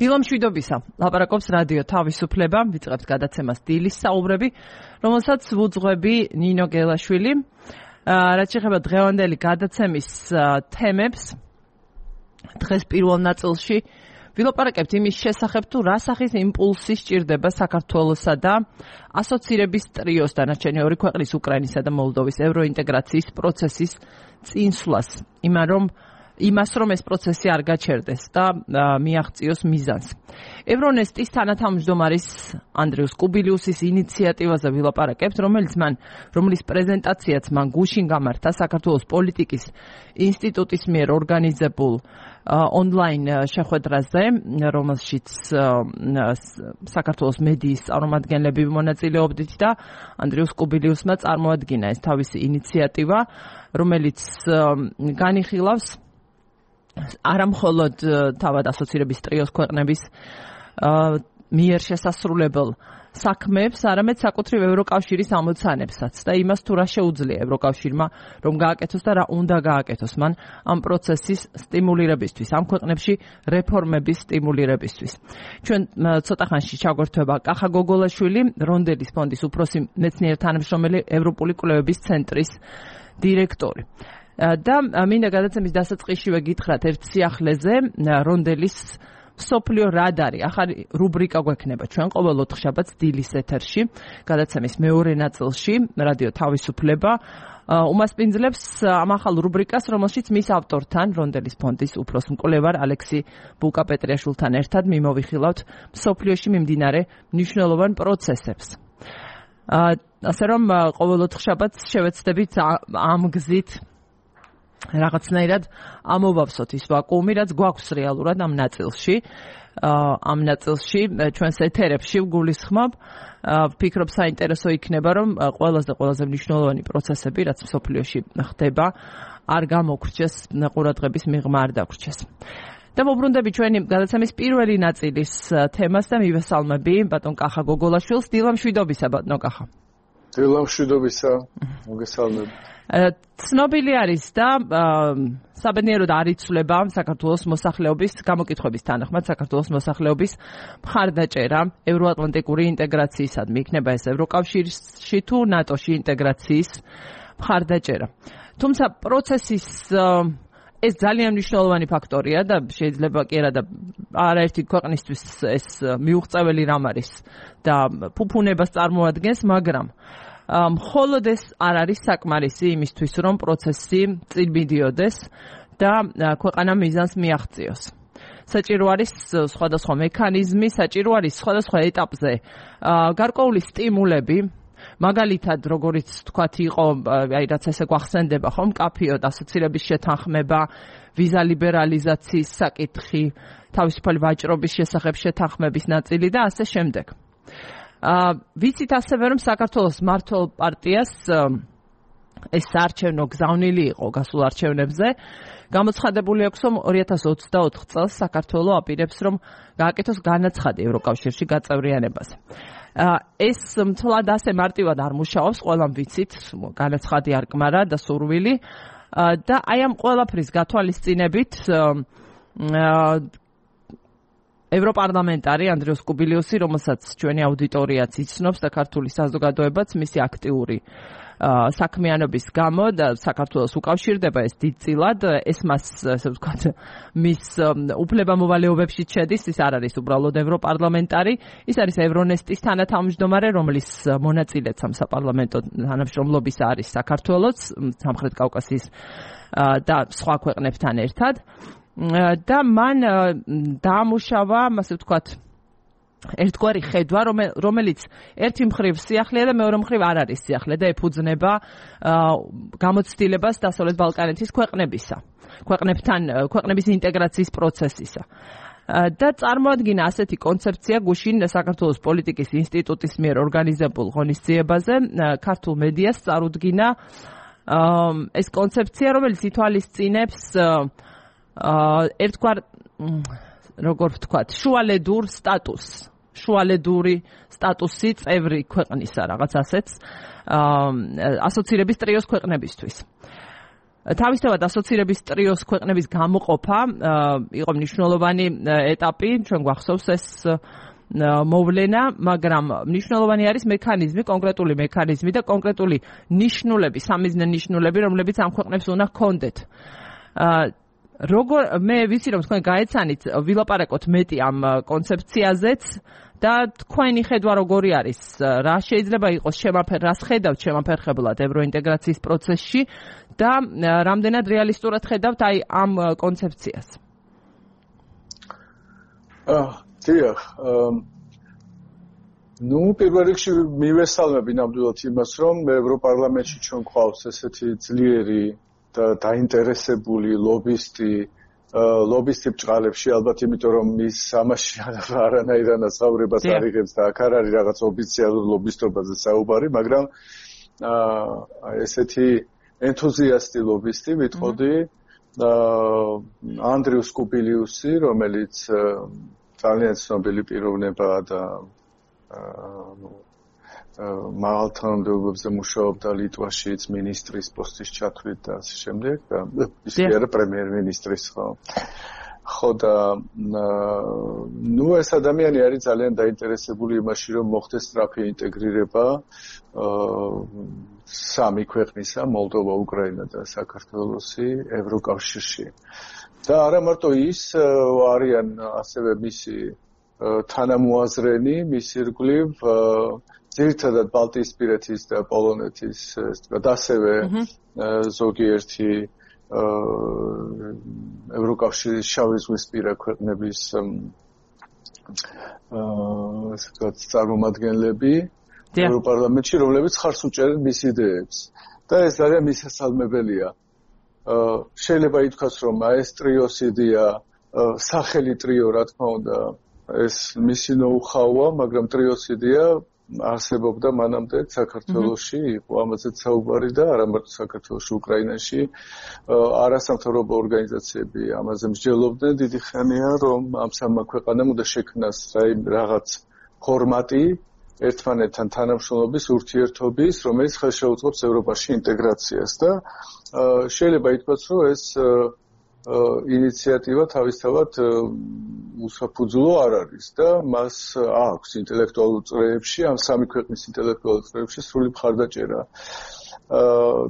დილამშვიდობისა. ლაპარაკობს რადიო თავისუფლება, ვიწყებთ გადაცემას დილის საუბრები, რომელსაც ვუძღვები ნინო გელაშვილი. რაც შეეხება დღევანდელი გადაცემის თემებს, დღეს პირველ ნაწილში ვილაპარაკებთ იმის შესახებ, თუ რა სახის იმპულსი სჭირდება საქართველოსა და ასოცირების ტრიოს დანარჩენი ორი ქვეყნის უკრაინისა და მოლდოვის ევროინტეგრაციის პროცესის წინსვლას. იმას, რომ ეს პროცესი არ გაჩერდეს და მიაღწიოს მიზანს. ევრონესტის თანათავმჯდომარის ანდრიუს კუბილიუსის ინიციატივაზე ვილაპარაკებთ, რომლის პრეზენტაციაც მან გუშინ გამართა საქართველოს პოლიტიკის ინსტიტუტის მიერ ორგანიზებულ ონლაინ შეხვედრაზე, რომელშიც საქართველოს მედიის წარმომადგენლები მონაწილეობდით და ანდრიუს კუბილიუსმა წარმოადგინა ეს თავისი ინიციატივა, რომელიც განიხილავს არა მხოლოდ თავად ასოცირების ტრიოს ქვეყნების მიერ შესასრულებელ საქმეებს, არამედ საკუთრივ ევროკავშირის ამოცანებსაც და იმას თუ რა შეუძლია ევროკავშირმა რომ გააკეთოს და რა უნდა გააკეთოს მან ამ პროცესის სტიმულირებისთვის, ამ ქვეყნებში რეფორმების სტიმულირებისთვის. ჩვენ ცოტა ხანში ჩაგვერთვება კახა გოგოლაშვილი, რონდელის ფონდის უფროსი მეცნიერ თანამშრომელი, ევროპული კვლევების ცენტრის დირექტორი. და მინდა გადაცემის დასაწყისშივე გითხრათ ერთ სიახლეზე, რონდელის მსოფლიო რადარი, ახალი რუბრიკა გვექნება ჩვენ ყოველ ოთხშაბათს დილის ეთერში, გადაცემის მეორე ნაწილში, რადიო თავისუფლება უმასპინძლებს ამ ახალ რუბრიკას, რომელშიც მის ავტორთან, რონდელის ფონდის უფროს მკვლევარ ალექსი ბულკა-პეტრიაშვილთან ერთად მიმოვიხილავთ მსოფლიოში მიმდინარე მნიშვნელოვან პროცესებს. ასე რომ ყოველ ოთხშაბათს შევეცდებით ამ გზით რაღაცნაირად ამოვავსოთ ის ვაკუუმი, რაც გვაქვს რეალურად ამ ნაწილში. ამ ნაწილში ჩვენს ეთერებში ვგულისხმობ, ვფიქრობ საინტერესო იქნება, რომ ყველაზე მნიშვნელოვანი პროცესები, რაც მსოფლიოში ხდება, არ გამოგრჩეს, ყურადღების მიღმა არ დაგვრჩეს. და მოbrunდები ჩვენი გადაცემის პირველი ნაწილის თემას და მივესალმები ბატონ კახა გოგოლაშვილს. დილამშვიდობისა ბატონო კახა. დილამშვიდობისა, მოგესალმები. ცნობილი არის და საბედნიეროდ არ იცვლება საქართველოს მოსახლეობის გამოკითხვების თანახმად საქართველოს მოსახლეობის მხარდაჭერა ევროატლანტიკური ინტეგრაციისადმი, იქნება ეს ევროკავშირში თუ ნატოში ინტეგრაციის მხარდაჭერა. თუმცა პროცესის ეს ძალიან მნიშვნელოვანი ფაქტორია და შეიძლება კი არა და არაერთი ქვეყნისთვის ეს მიუღწეველი რამ არის და ფუფუნებას წარმოადგენს, მაგრამ მხოლოდ ეს არ არის საკმარისი იმისთვის, რომ პროცესი წინ მიდიოდეს და ქვეყანა მიზანს მიაღწიოს. საჭირო არის სხვადასხვა მექანიზმი, საჭირო არის სხვადასხვა ეტაპზე გარკვეული სტიმულები, მაგალითად, როგორც თქვათ იყო, რაც ესე გვახსენდება ხომ, მკაფიოდ ასოცირების შეთანხმება, ვიზა ლიბერალიზაციის საკითხი, თავისუფალი ვაჭრობის შესახებ შეთანხმების ნაწილი და ასე შემდეგ. ვიცით ასევე, რომ საქართველოს მმართველ პარტიას ეს საარჩევნო გზავნილი იყო გასულ არჩევნებზე. გამოცხადებული აქვს, რომ 2024 წელს საქართველო აპირებს, რომ გააკეთოს განაცხადი ევროკავშირში გაწევრიანებაზე. ეს მთლად ასე მარტივად არ მუშაობს, ყველამ ვიცით, განაცხადი არ კმარა და სურვილი და აი ამ ყველაფრის გათვალისწინებით ევროპარლამენტარი ანდრიუს კუბილიუსი, რომელსაც ჩვენი აუდიტორიაც იცნობს და ქართული საზოგადოებაც მისი აქტიური საქმიანობის გამო და საქართველოს უკავშირდება ეს დიდწილად, ეს მას, ასე ვთქვათ, მის უფლებამოვალეობებში შედის, ის არ არის უბრალოდ ევროპარლამენტარი, ის არის ევრონესტის თანათავმჯდომარე, რომლის მონაწილეც ამ საპარლამენტო თანამშრომლობისა არის საქართველოც, სამხრეთ კავკასიის და სხვა ქვეყნებთან ერთად. და მან დაამუშავა, ასე ვთქვათ, ერთგვარი ხედვა, რომელიც ერთი მხრივ სიახლეა და მეორე მხრივ არ არის სიახლე და ეფუძნება გამოცდილებას დასავლეთ ბალკანეთის ქვეყნების ინტეგრაციის პროცესისა. და წარმოადგინა ასეთი კონცეფცია გუშინ საქართველოს პოლიტიკის ინსტიტუტის მიერ ორგანიზებულ ღონისძიებაზე, ქართულ მედიას წარუდგინა ეს კონცეფცია, რომელიც ითვალისწინებს ერთგვარ, როგორ ვთქვათ, შუალედურ სტატუსს. შუალედური სტატუსი წევრი ქვეყნისა, რაღაც ასეც ასოცირების ტრიოს ქვეყნებისთვის. თავისთავად ასოცირების ტრიოს ქვეყნების გამოყოფა იყო მნიშვნელოვანი ეტაპი, ჩვენ გვახსოვს ეს მოვლენა, მაგრამ მნიშვნელოვანი არის მექანიზმი, კონკრეტული მექანიზმი და კონკრეტული ნიშნულები, სამიზნე ნიშნულები, რომლებიც ამ ქვეყნებს უნდა ჰქონდეთ. მე ვიცი რომ თქვენ გაეცანით ვილაპარაკოთ მეტი ამ კონცეფციაზეც და თქვენი ხედვა როგორი არის, რა შეიძლება იყოს რას ხედავთ შემაფერხებლად ევროინტეგრაციის პროცესში და რამდენად რეალისტურად ხედავთ აი ამ კონცეფციას? დიახ, პირველ რიგში მივესალმები ნამდვილად იმას, რომ ევროპარლამენტში ჩვენ გვყავს ესეთი ძლიერი და დაინტერესებული ლობისტი ბჭყალებში, ალბათ იმიტომ რომ ის ამაში არანაირ ანაზღაურებას არ იღებს და აქ არ არის რაღაც ოფიციალურ ლობისტობაზე საუბარი, მაგრამ ესეთი ენთუზიასტი ლობისტი ვიტყოდი ანდრიუ სკუბილიუსი, რომელიც ძალიან ცნობილი პიროვნებაა და მაღალ თანამდებობებზე მუშაობდა ლიტვაშიც მინისტრის პოსტის ჩათვლით და ასე შემდეგ და ის არა პრემიერ-მინისტრის ხო და ეს ადამიანი არის ძალიან დაინტერესებული იმაში რომ მოხდეს სწრაფი ინტეგრირება სამი ქვეყნისა მოლდოვა, უკრაინა და საქართველოსი ევროკავშირში და არა მარტო ის არიან ასევე მისი თანამოაზრენი მის ირგვლივ ძირითადად ბალტიისპირეთის და პოლონეთის ასევე ზოგიერთი ევროკავშირის შავი ზღვისპირა ქვეყნების წარმომადგენლები ევროპარლამენტში, რომლებიც ხარს უჭერენ მის იდეებს და ეს ძალიან მისასალმებელია. შეიძლება ითქვას, რომ ეს ტრიოს იდეა, სახელი ტრიო, რა თქმა უნდა, ეს მისი ნოუ-ჰაუა, მაგრამ ტრიოს იდეა არსებობდა მანამდე საქართველოში, იყო ამაზეც საუბარი და არა მარტო საქართველოში, უკრაინაში არასამთავრობო ორგანიზაციები ამაზე მსჯელობდნენ დიდი ხანია, რომ ამ სამმა ქვეყანამ უნდა შექმნას რაღაც ფორმატი ერთმანეთთან თანამშრომლობის, ურთიერთობის, რომელიც ხელშეუწყობს ევროპაში ინტეგრაციას და შეიძლება ითქვას, რომ ეს ინიციატივა თავისთავად უსაფუძვლო არ არის და მას აქვს ინტელექტუალურ წრეებში, ამ სამი ქვეყნის ინტელექტუალურ წრეებში სრული მხარდაჭერა.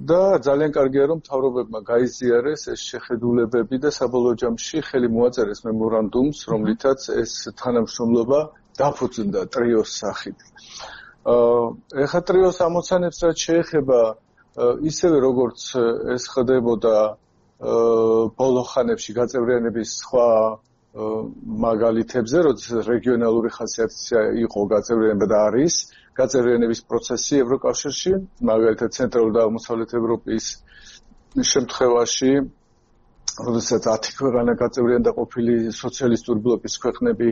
და ძალიან კარგია რომ მთავრობებმა გაიზიარეს ეს შეხედულებები და საბოლოო ჯამში ხელი მოაწერეს მემორანდუმს, რომლითაც ეს თანამშრომლობა დაფუძნდა ტრიოს სახით. ეხლა ტრიოს ამოცანებს რაც შეეხება ისევე როგორც ეს ხდებოდა ბოლო ხანებში გაწევრიანების სხვა მაგალითებზე, როდესაც რეგიონალური ხასიათი იყო გაწევრიანება და არის გაწევრიანების პროცესი ევროკავშირში, მაგალითად ცენტრალური და აღმოსავლეთ ევროპის შემთხვევაში, როდესაც 10 ქვეყანა გაწევრიანდა ყოფილი სოციალისტური ბლოკის ქვეყნები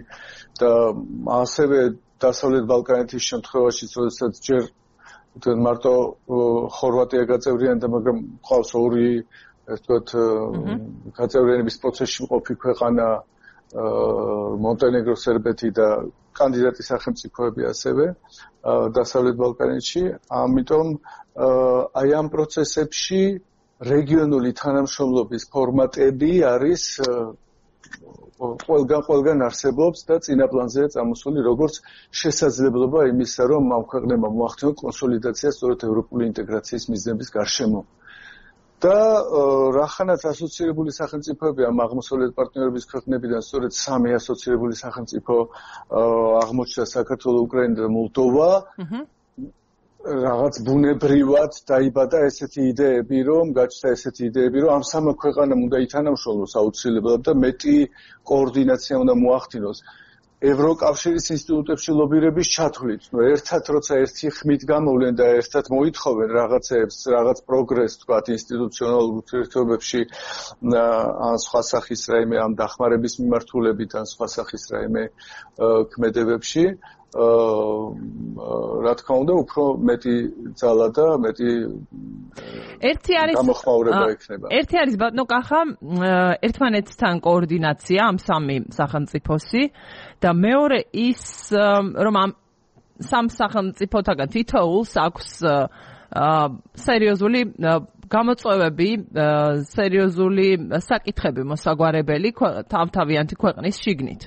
და ასევე დასავლეთ ბალკანეთის შემთხვევაში, როდესაც ჯერ მარტო ხორვატია გაწევრიანდა, მაგრამ ყავს ორი გაწევრიანების პროცესში მყოფი ქვეყანა მონტენეგრო, სერბეთი და კანდიდატი სახელმწიფოები ასევე დასავლეთ ბალკანეთში. ამიტომ აი ამ პროცესებში რეგიონული თანამშრომლობის ფორმატები არის ყველგან არსებობს და წინა პლანზეა წამოსული როგორც შესაძლებლობა იმისა, რომ ამ ქვეყნებმა მოახდინონ კონსოლიდაცია სწორედ ევროპული ინტეგრაციის მიზნების გარშემო. და რახანაც ასოცირებული სახელმწიფოები ამ აღმოსავლეთ პარტნიორების ქვეყნებიდან სწორედ სამი ასოცირებული სახელმწიფო აღმოჩნდა საქართველო, უკრაინა და მოლდოვა. რაღაც ბუნებრივად დაიბადა ესეთი იდეები, რომ გაჩნდა ესეთი იდეები, რომ ამ სამმა ქვეყანამ უნდა ითანამშრომლოს აუცილებლად და მეტი координация უნდა მოახდინოს. ევროკავშირის ინსტიტუტებში ლობირების ჩათვლით, ერთად როცა ერთი ხმით გამოვლენ და ერთად მოითხოვენ რაღაცებს, რაღაც პროგრესს, თქვათ, ინსტიტუციონალურ ურთიერთობებში, ან სხვა სახის რაიმე ამ დახმარების მიმართულებით, ან სხვა სახის რაიმე ქმედებებში, რა თქმა უნდა, უფრო მეტი ძალა და მეტი გამოხმაურება იქნება. ერთი არის ბატონო კახა, ერთმანეთთან კოორდინაცია ამ სამი სახელმწიფოსი და მეორე ის, რომ ამ სამ სახელმწიფოთაგან თითოეულს აქვს სერიოზული გამოწვევები, სერიოზული საკითხები მოსაგვარებელი თავთავიანთი ქვეყნის შიგნით.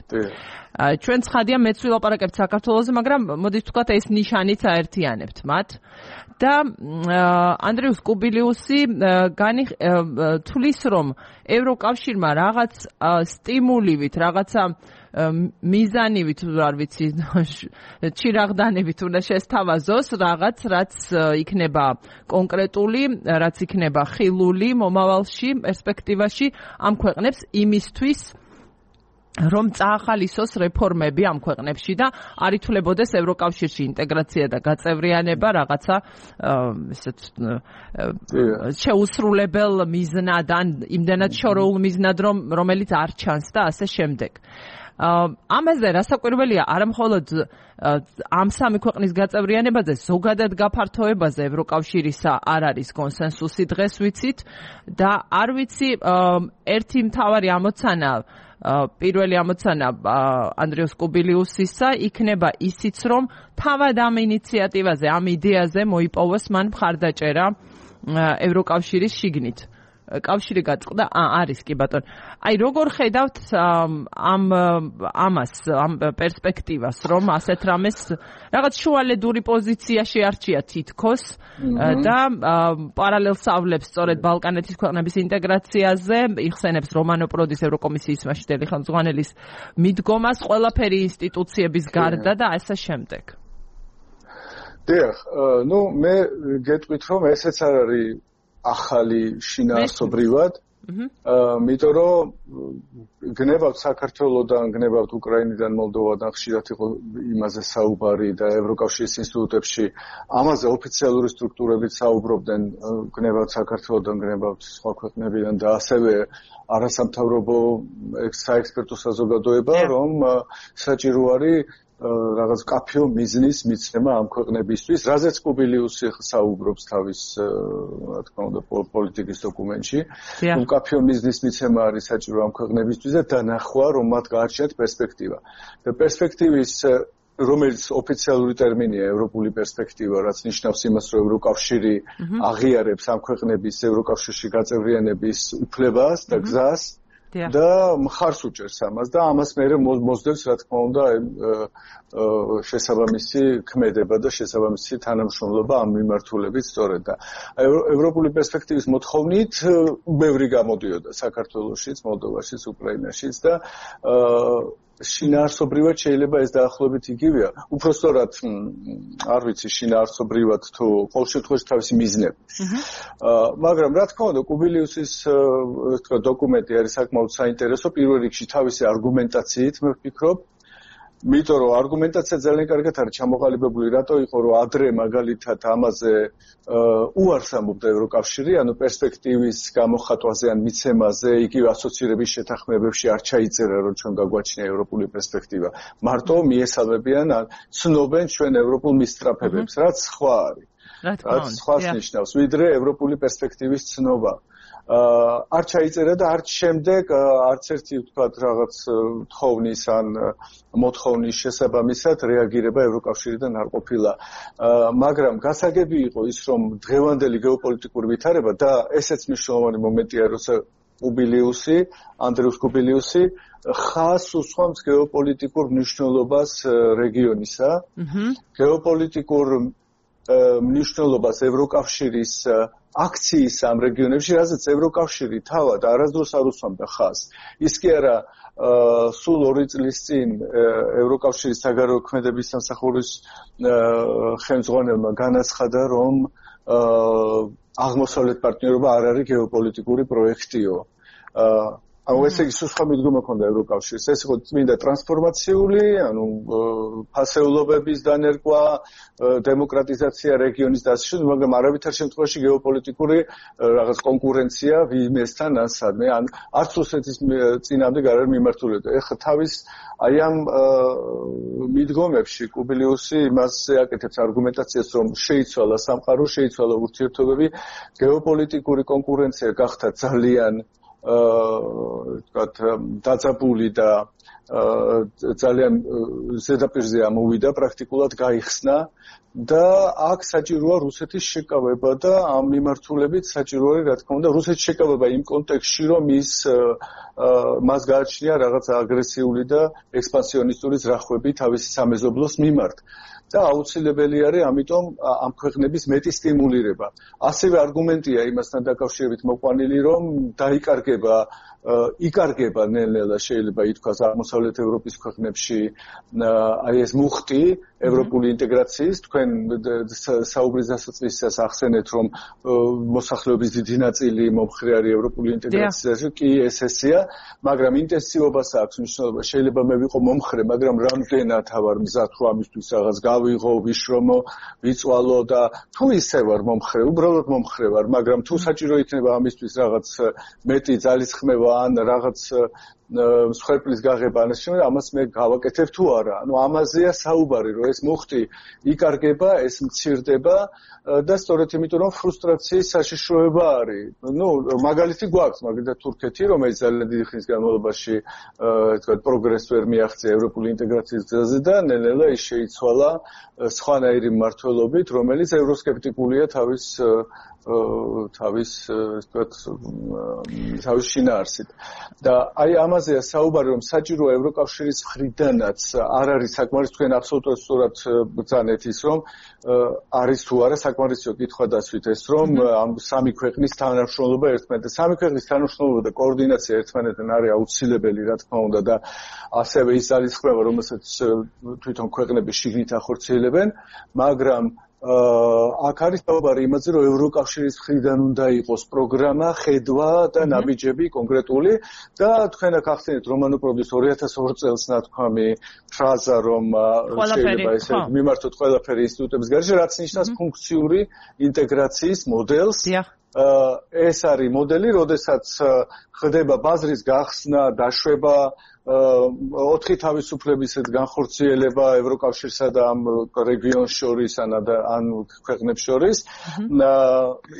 ჩვენ ცხადია მეც ვილაპარაკებთ საქართველოზე, მაგრამ მოდით ვთქვათ ეს ნიშანიც აერთიანებთ მათ. და ანდრიუს კუბილიუსი თulis რომ ევროკავშირმა რაღაც სტიმულივით, რაღაცა მიზანივით, არ ვიცი, ჩირაღდანებით უნდა შესთავაზოს რაღაც, რაც იქნება კონკრეტული, რაც იქნება ხილული მომავალში, პერსპექტივაში ამ ქვეყნებს იმისთვის რომ წაახალისოს რეფორმები ამ ქვეყნებში და არ ითვლებოდეს ევროკავშირში ინტეგრაცია და გაწევრიანება რაღაცა ესეთ შეუსრულებელ მიზნად ან იმდანაც შორეულ მიზნად რომელიც არ ჩანს და ასე შემდეგ. ამაზე რასაკვირველია არა მხოლოდ ამ სამი ქვეყნის გაწევრიანებაზე, ზოგადად გაფართოებაზე ევროკავშირისა არ არის კონსენსუსი დღეს ვიცით და არ ვიცი ერთი მთავარი ამოცანა პირველი ამოცანა ანდრიუს კუბილიუსისა იქნება ისიც რომ თავად ამ ინიციატივაზე, ამ იდეაზე მოიპოვოს მან მხარდაჭერა ევროკავშირის შიგნით. კავშირი გაწყდა არის კი ბატონო. აი როგორ ხედავთ ამას, ამ პერსპექტივას, რომ ასეთ რამეს რაღაც შუალედური პოზიცია შეარჩია თითქოს და პარალელ სწავლებს სწორედ ბალკანეთის ქვეყნების ინტეგრაციაზე, იხსენებს რომანო პროდის ევროკომისიის მასშტაბელი ხელმძღვანელის მიდგომას ყველაფერი ინსტიტუციების გარდა და ასე შემდეგ. დიახ, მე გეტყვით რომ ესეც არ არის ახალი შინაარსობრივად, იმიტომ რომ გნებავთ საქართველოდან, გნებავთ უკრაინიდან, მოლდოვადან ხშირად იყო იმაზე საუბარი და ევროკავშირის ინსტიტუტებში ამაზე ოფიციალური სტრუქტურებით საუბრობდნენ, გნებავთ საქართველოდან, გნებავთ სხვა ქვეყნებიდან და ასევე არასამთავრობო საექსპერტო საზოგადოება, რომ საჭირო არის რაღაც კაფეო მიზნის მიცემა ამ ქვეყნებისთვის, რაზეც კუბილიუსი საუბრობს თავის, რა თქმა უნდა, პოლიტიკის დოკუმენტში. კაფეო მიზნის მიცემა არის საჭირო ამ ქვეყნებისთვის და დანახვა, რომ მათ გაარჩიათ პერსპექტივა. და პერსპექტივის რომელიც ოფიციალური ტერმინია ევროპული პერსპექტივა, რაც ნიშნავს იმას, რომ ევროკავშირი აღიარებს ამ ქვეყნების ევროკავშირში გაწევრიანების უფლებას და გზას და მხარს უჭერს ამას და ამას მერე მოსდევს, რა თქმა უნდა, შესაბამისი ქმედება და შესაბამისი თანამშრომლობა ამ მიმართულებით სწორედ და ევროპული პერსპექტივის მოთხოვნით ბევრი გამოდიოდა საქართველოშიც, მოლდოვაშიც, უკრაინაშიც და შინაარსობრივად შეიძლება ეს დაახლოებით იგივეა. უფრო სწორად, არ ვიცი, შინაარსობრივად თუ ყოველ შემთხვევაში თავისი მიზნები. მაგრამ რა თქმა უნდა, კუბილიუსის დოკუმენტი არის საკმაოდ საინტერესო, პირველ რიგში თავისი არგუმენტაციით, მე ვფიქრობ. იმიტომ რომ არგუმენტაცია ძალიან კარგად არის ჩამოყალიბებული, რატო იყო რომ ადრე მაგალითად ამაზე უარს ამბობდა ევროკავშირი, ანუ პერსპექტივის გამოხატვაზე ან მიცემაზე, იგივე ასოცირების შეთანხმებებში არ ჩაიწერა, რომ ჩვენ გაგვაჩნია ევროპული პერსპექტივა. მარტო მიესალმებიან ან ცნობენ ჩვენ ევროპულ მისწრაფებებს, რაც სხვა არის. რაც სხვას ნიშნავს, ვიდრე ევროპული პერსპექტივის ცნობა. არ ჩაიწერა და არც შემდეგ არც ერთი ვთქვათ რაღაც თხოვნის ან მოთხოვნის შესაბამისად რეაგირება ევროკავშირიდან არ ყოფილა. მაგრამ გასაგები იყო ის, რომ დღევანდელი გეოპოლიტიკური ვითარება და ესეც მნიშვნელოვანი მომენტია, როცა ანდრიუს კუბილიუსი ხაზს უსვამს გეოპოლიტიკურ მნიშვნელობას რეგიონისა, გეოპოლიტიკურ მნიშვნელობას ევროკავშირის აქციის ამ რეგიონებში, რაზეც ევროკავშირი თავად არასდროს არ უსვამდა ხაზს. ის კი არა სულ 2 წლის წინ ევროკავშირის საგარეო ქმედების სამსახურის ხელმძღვანელმა განაცხადა, რომ აღმოსავლეთ პარტნიორობა არ არის გეოპოლიტიკური პროექტიო. ეს იგი სხვა მიდგომა ჰქონდა ევროკავშირს. ეს იყო წმინდა ტრანსფორმაციული, ანუ ფასეულობების დანერგვა, დემოკრატიზაცია რეგიონის და ასე შემდეგ, მაგრამ არავითარ შემთხვევაში გეოპოლიტიკური რაღაც კონკურენცია ვინმესთან ან სადმე, ან არც რუსეთის წინამდე არ არის მიმართული. ეხლა თავის აი ამ მიდგომებში კუბილიუსი იმასზე აკეთებს არგუმენტაციას, რომ შეიცვალა სამყარო, შეიცვალა ურთიერთობები, გეოპოლიტიკური კონკურენცია გახდა ძალიან ვთქვათ, დაძაბული და ძალიან ზედაპირზე ამოვიდა, პრაქტიკულად გაიხსნა და აქ საჭიროა რუსეთის შეკავება და ამ მიმართულებით საჭიროა, რა თქმა უნდა, რუსეთის შეკავება იმ კონტექსტში, რომ მას გააჩნია რაღაც აგრესიული და ექსპანსიონისტური ზრახვები თავისი სამეზობლოს მიმართ. და აუცილებელი არის ამიტომ ამ ქვეყნების მეტი სტიმულირება. ასევე არგუმენტია იმასთან დაკავშირებით მოყვანილი, რომ იკარგება ნელ-ნელა შეიძლება ითქვას აღმოსავლეთ ევროპის ქვეყნებში აი ეს მუხტი ევროპული ინტეგრაციის. თქვენ საუბრის დასაწყისას ახსენეთ, რომ მოსახლეობის დიდი ნაწილი მომხრე არის ევროპული ინტეგრაციაში, კი ესეა, მაგრამ ინტენსივობას აქვს მნიშვნელობა. შეიძლება მე ვიყო მომხრე, მაგრამ რამდენად ვარ მზად რომ ამისთვის რაღაც გავიღო, ვიშრომო, ვიწვალო და თუ ისე ვარ მომხრე, უბრალოდ მომხრე ვარ, მაგრამ თუ საჭირო იქნება ამისთვის რაღაც მეტი ძალისხმევა ან რაღაც მსხვერპლის გაღება ან შემო ამას მე გავაკეთებ თუ არა. ანუ ამაზეა საუბარი, რომ ეს მუხტი იკარგება, ეს მცირდება და სწორედ იმიტომ რომ ფრუსტრაციის საშიშროება არის. მაგალითი გვაქვს, მაგალითად თურქეთი, რომელიც ძალიან დიდი ხნის განმავლობაში თქვა პროგრესს ვერ მიაღწია ევროპული ინტეგრაციის გზაზე და ნელ-ნელა ის შეიცვალა სხვანაირი მმართველობით, რომელიც ევროსკეპტიკულია თავის შინაარსით. და აი ამაზეა საუბარი, რომ საჭიროა ევროკავშირის მხრიდანაც არ არის საკმარის, თქვენ აბსოლუტურად სწორად ბრძანეთ ის, რომ არის თუ არა საკმარისო კითხვა დასვით ეს, რომ ამ სამი ქვეყნის თანამშრომლობა ერთმანეთთან, სამი ქვეყნის თანამშრომლობა და კოორდინაცია ერთმანეთთან არის აუცილებელი, რა თქმა უნდა, და ასევე ის ძალისხმევა, რომელსაც თვითონ ქვეყნები შიგნით ახორციელებენ, მაგრამ აქ არის საუბარი იმაზე, რომ ევროკავშირის მხრიდან უნდა იყოს პროგრამა, ხედვა და ნაბიჯები კონკრეტული და თქვენ აქ ახსენეთ რომანოპროდის 2002 წელს ნათქვამი ფრაზა, რომ შეიძლება ესე მიმართოთ ყველაფერი ინსტიტუტების გარეშე, რაც ნიშნავს ფუნქციური ინტეგრაციის მოდელს. ეს არის მოდელი, როდესაც ხდება ბაზრის გახსნა, დაშვება, 4 თავისუფლების განხორციელება ევროკავშირსა და ამ რეგიონს შორის ან ქვეყნებს შორის,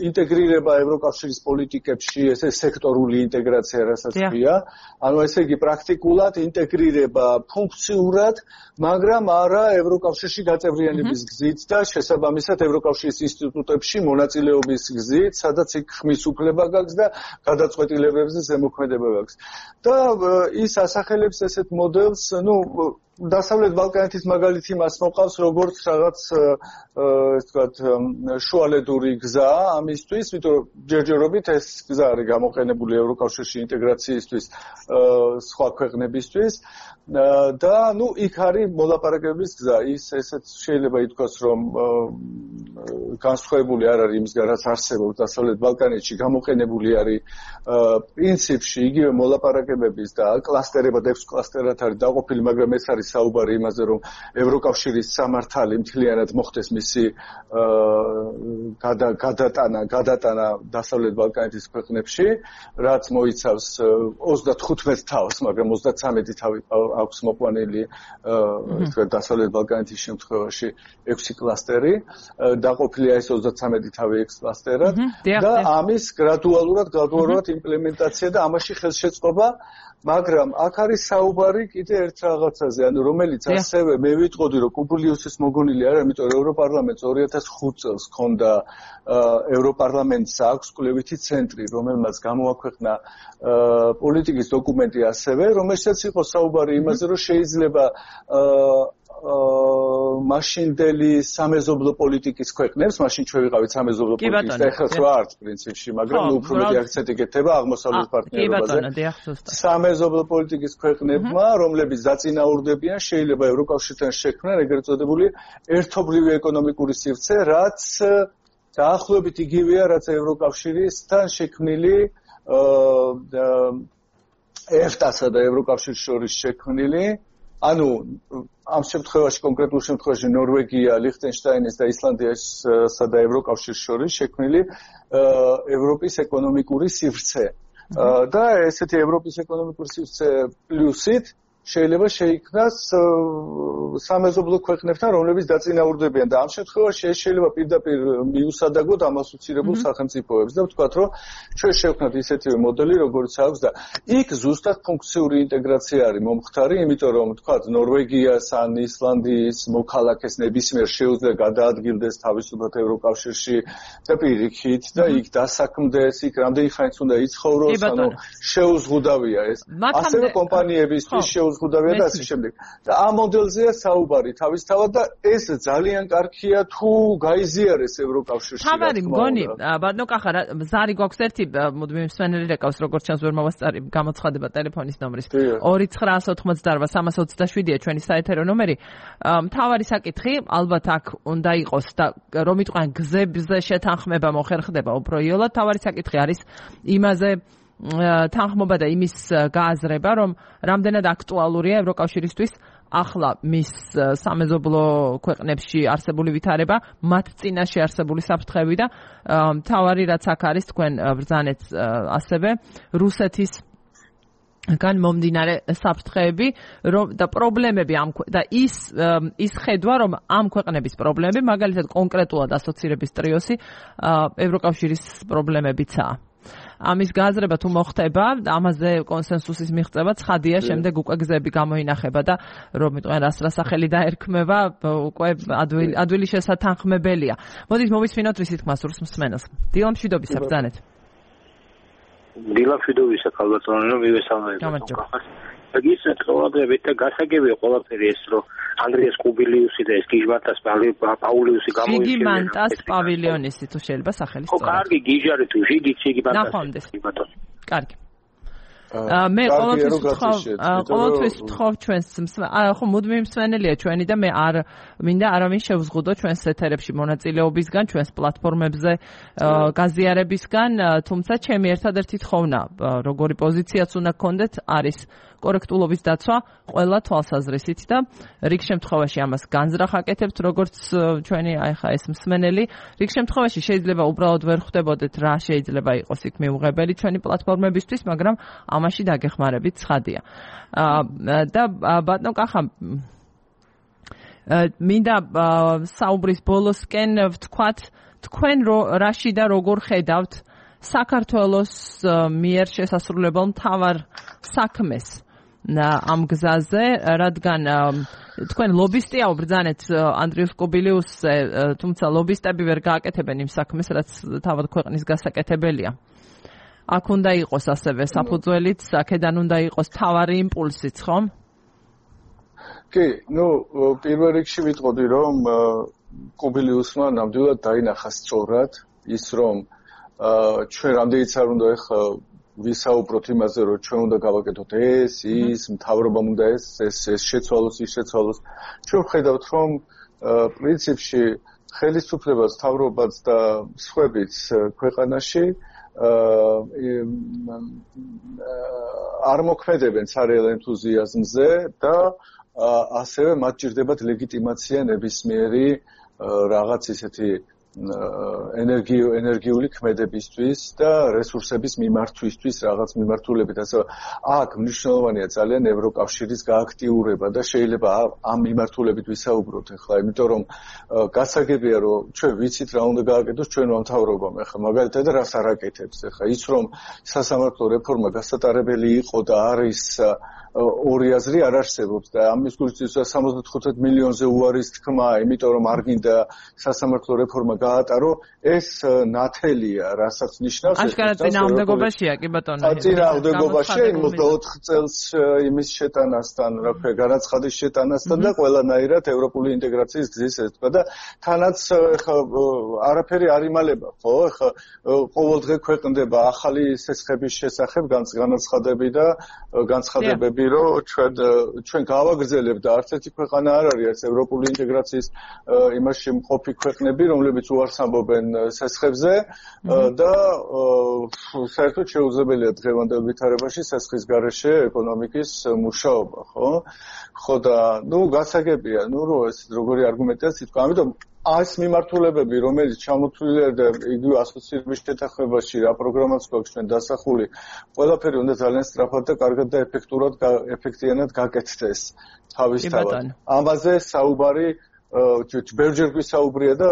ინტეგრირება ევროკავშირის პოლიტიკებში, ესე სექტორული ინტეგრაცია, რასაც ქვია. ანუ ესე იგი პრაქტიკულად ინტეგრირება ფუნქციურად, მაგრამ არა ევროკავშირში გაწევრიანების გზით და შესაბამისად ევროკავშირის ინსტიტუტებში მონაწილეობის გზით, სადაც იქ ხმის უფლება გაქვს და გადაწყვეტილებებზე ზემოქმედება გაქვს. და ის ასახელებს ესეთ მოდელს, დასავლეთ ბალკანეთის მაგალითი მას მოყავს როგორც რაღაც ეს ვთქვათ შუალედური გზა ამისთვის, იმიტომ რომ ჯერჯერობით ეს გზა არის გამოყენებული ევროკავშირში ინტეგრაციისთვის სხვა ქვეყნებისთვის და იქ არის მოლაპარაკების გზა. ესეც შეიძლება ითქვას, რომ განსხვავებული არ არის იმისგან, რაც არსებობს დასავლეთ ბალკანეთში, გამოყენებული არის პრინციპში იგივე მოლაპარაკებების და კლასტერებად 6 კლასტერად არის დაყოფილი, მაგრამ ეს არის საუბარი იმაზე, რომ ევროკავშირის სამართალი მთლიანად მოხდეს მისი გადატანა დასავლეთ ბალკანეთის ქვეყნებში, რაც მოიცავს 35 თავს, მაგრამ 33 თავი აქვს მოყვანილი დასავლეთ ბალკანეთის შემთხვევაში 6 კლასტერი, დაყოფილია ეს 33 თავი 6 კლასტერად და ამის გრადუალურად იმპლემენტაცია და ამაში ხელშეწყობა. მაგრამ აქ არის საუბარი კიდე ერთ რაღაცაზე, ანუ რომელიც ასევე მე ვიტყოდი, რომ კუბლიუსის მოგონილი არ არის, იმიტომ რომ ევროპარლამენტს 2005 წელს ჰქონდა ევროპარლამენტს აქვს კვლევითი ცენტრი, რომელმაც გამოაქვეყნა პოლიტიკის დოკუმენტი ასევე, რომელშიც იყო საუბარი იმაზე, რომ შეიძლება მაშინდელი სამეზობლო პოლიტიკის ქვეყნებს, მაშინ ჩვენ ვიყავით სამეზობლო პოლიტიკის და ეხლა ვართ პრინციპში, მაგრამ უფრო მეტი აქცენტი გეთება აღმოსავლეთ პარტნიორობაზე. სამეზობლო პოლიტიკის ქვეყნებმა, რომლებიც დაწინაურდებიან, შეიძლება ევროკავშირთან შექმნან ეგრეთ წოდებული ერთობლივი ეკონომიკური სივრცე, რაც დაახლოებით იგივეა, რაც ევროკავშირისთან შექმნილი EFTA-სა და ევროკავშირის შორის შექმნილი. ანუ ამ შემთხვევაში, კონკრეტულ შემთხვევაში ნორვეგია, ლიხტენშტაინის და ისლანდიასა და ევროკავშირის შორის შექმნილი ევროპის ეკონომიკური სივრცე. და ესეთი ევროპის ეკონომიკური სივრცე პლუსით შეიძლება შეიქმნას სამეზობლო ქვეყნებთან, რომლებიც დაწინაურდებიან და ამ შემთხვევაში ეს შეიძლება პირდაპირ მიუსადაგოთ ამას უცირებულ სახელმწიფოებს და ვთქვათ, რომ ჩვენ შევქმნათ ისეთივე მოდელი, როგორც აქვს და იქ ზუსტად ფუნქციური ინტეგრაცია არის მომხდარი, იმიტომ რომ ვთქვათ, ნორვეგიას ან ისლანდიის მოქალაქეს ნებისმიერ შეუძლია გადაადგილდეს თავისუფლად ევროკავშირში და პირიქით და იქ დასაქმდეს, იქ რამდენი ხანიც უნდა იცხოვროს, ანუ შეუზღუდავია ეს. ასევე კომპანიებისთვის შეუზღუდავია და ასე შემდეგ. და ამ მოდელზეა საუბარი თავისთავად და ეს ძალიან კარგია თუ გაიზიარეს ევროკავშირში. თავარი მგონი, ბატონო კახა, ზარი გვაქვს ერთი მუდმივი მსმენელი რეკავს, როგორც ჩანს ვერ მოვასწარი გამოცხადება ტელეფონის ნომრის 2988-327-ია ჩვენი საეთერო ნომერი. თავარი საკითხი, ალბათ აქ უნდა იყოს და რომ იტყვიან გზებზე შეთანხმება მოხერხდება უფრო იოლად, თავარი საკითხი არის იმაზე თანხმობა და იმის გააზრება, რომ რამდენად აქტუალურია ევროკავშირისთვის ახლა მის სამეზობლო ქვეყნებში არსებული ვითარება, მათ წინაშე არსებული საფრთხეები და მთავარი რაც აქ არის თქვენ ბრძანეთ ასევე რუსეთის გან მომდინარე საფრთხეები და პრობლემები და ის ხედვა რომ ამ ქვეყნების პრობლემები მაგალითად კონკრეტულად ასოცირების ტრიოსი ევროკავშირის პრობლემებიცაა. ამის გააზრება თუ მოხდება, ამაზე კონსენსუსის მიღწევა ცხადია, შემდეგ უკვე გზები გამოინახება და რომ იტყვიან რასახელი დაერქმევა, უკვე ადვილი შესათანხმებელია. მოდით მოვისმინოთ რისი თქმა სურს მსმენელს. დილა მშვიდობისა, ბრძანეთ. დილა მშვიდობისა, ქალბატონო, მივესალმებით. გისმენთ ყველაფერი და გასაგებია ყველაფერი ეს რომ ანდრიას კუბილიუსი და ეს გიჟმანტას პაულიუსი გამოიჩინა. გიჟმანტას პავილიონისი თუ შეიძლება სახელი სწორად. ხო, კარგი გიჟარი თუ გიჟმანტას. ნახონდეს. კარგი. მე ყოველთვის ვთხოვ ჩვენს ხო მუდმივი მსმენელია ჩვენი და მე არ მინდა არავინ შევზღუდო ჩვენს ეთერებში მონაწილეობისგან, ჩვენს პლატფორმებზე გაზიარებისგან, თუმცა ჩემი ერთადერთი თხოვნა, როგორი პოზიციაც უნდა გქონდეთ, არის კორექტულობის დაცვა ყველა თვალსაზრისით და რიგ შემთხვევაში ამას განზრახ აკეთებთ, როგორც ჩვენი ახლა ეს მსმენელი, რიგ შემთხვევაში შეიძლება უბრალოდ ვერ ხვდებოდეთ რა შეიძლება იყოს იქ მიუღებელი ჩვენი პლატფორმებისთვის, მაგრამ ამაში დაგეხმარებით ცხადია. და ბატონო კახა მინდა საუბრის ბოლოსკენ ვთქვათ, თქვენ რაში და როგორ ხედავთ საქართველოს მიერ შესასრულებელ მთავარ საქმეს ამ გზაზე, რადგან თქვენ ლობისტია ვბრძანეთ ანდრიუს კუბილიუსზე, თუმცა ლობისტები ვერ გააკეთებენ იმ საქმეს, რაც თავად ქვეყნის გასაკეთებელია. აქ უნდა იყოს ასევე საფუძველით, აქედან უნდა იყოს თავარი იმპულსიც, ხომ? კი, პირველ რიგში ვიტყოდი, რომ კუბილიუსმა ნამდვილად დაინახა სწორად ის, რომ ჩვენ რამდენიც არ უნდა ეხლა ვისაუბროთ იმაზე, რომ ჩვენ უნდა გავაკეთოთ ეს, ის, მთავრობამ უნდა ეს შეცვალოს, ის შეცვალოს. ჩვენ ვხედავთ, რომ პრინციპში ხელისუფლებას, მთავრობაც და სხვაებიც ქვეყანაში არ მოქმედებენ ცარიელ ენთუზიაზმზე და ასევე მათ ჭირდებათ ლეგიტიმაცია ნებისმიერი რაღაც ისეთი ენერგიული ქმედებისთვის და რესურსების მიმართვისთვის რაღაც მიმართულებით. ასე აქ მნიშვნელოვანია ძალიან ევროკავშირის გააქტიურება და შეიძლება ამ მიმართულებით ვისაუბროთ ახლა, იმიტომ რომ გასაგებია რომ ჩვენ ვიცით რა უნდა გააკეთოს ჩვენმა მთავრობამ ახლა მაგალითად რას არ აკეთებს ახლა ის რომ სასამართლო რეფორმა გასატარებელი იყო და არის ორი აზრი არ არსებობს და ამის გულწრფელს 75 მილიონზე უარის თქმა, იმიტომ რომ არ გინდა სასამართლო რეფორმა გაატარო, ეს ნათელია, რასაც ნიშნავს ეს. აშკარად წინააღმდეგობაშია, კი ბატონო. წინააღმდეგობაშია 24 წელს იმის შეტანასთან, რა ქვია, განაცხადის შეტანასთან და ყველანაირად ევროპული ინტეგრაციის გზის ეთქვა და თანაც ხა არაფერი არ იმალება, ხო? ხა ყოველდღე ქვეყნდება ახალი სესხების შესახებ განაცხადები და განცხადებები რომ ჩვენ გავაგრძელებთ და არც ერთი ქვეყანა არ არის ეს ევროპული ინტეგრაციის იმაში მყოფი ქვეყნები, რომლებიც უარს ამბობენ სესხებზე და საერთოდ შეუძლებელია დღევანდელ ვითარებაში სესხის გარეშე ეკონომიკის მუშაობა, ხო? ხო და გასაგებია, რომ ეს როგორი არგუმენტია სიტყვა, ამიტომ ეს მიმართულებები, რომელიც ჩამოთვლილია და იგივე ასოცირების შეთანხმებაში რა პროგრამაც გვაქვს ჩვენ დასახული, ყველაფერი უნდა ძალიან სწრაფად და კარგად და ეფექტიანად გაკეთდეს თავისთავად. ამაზე საუბარი ბევრჯერ გვისაუბრია და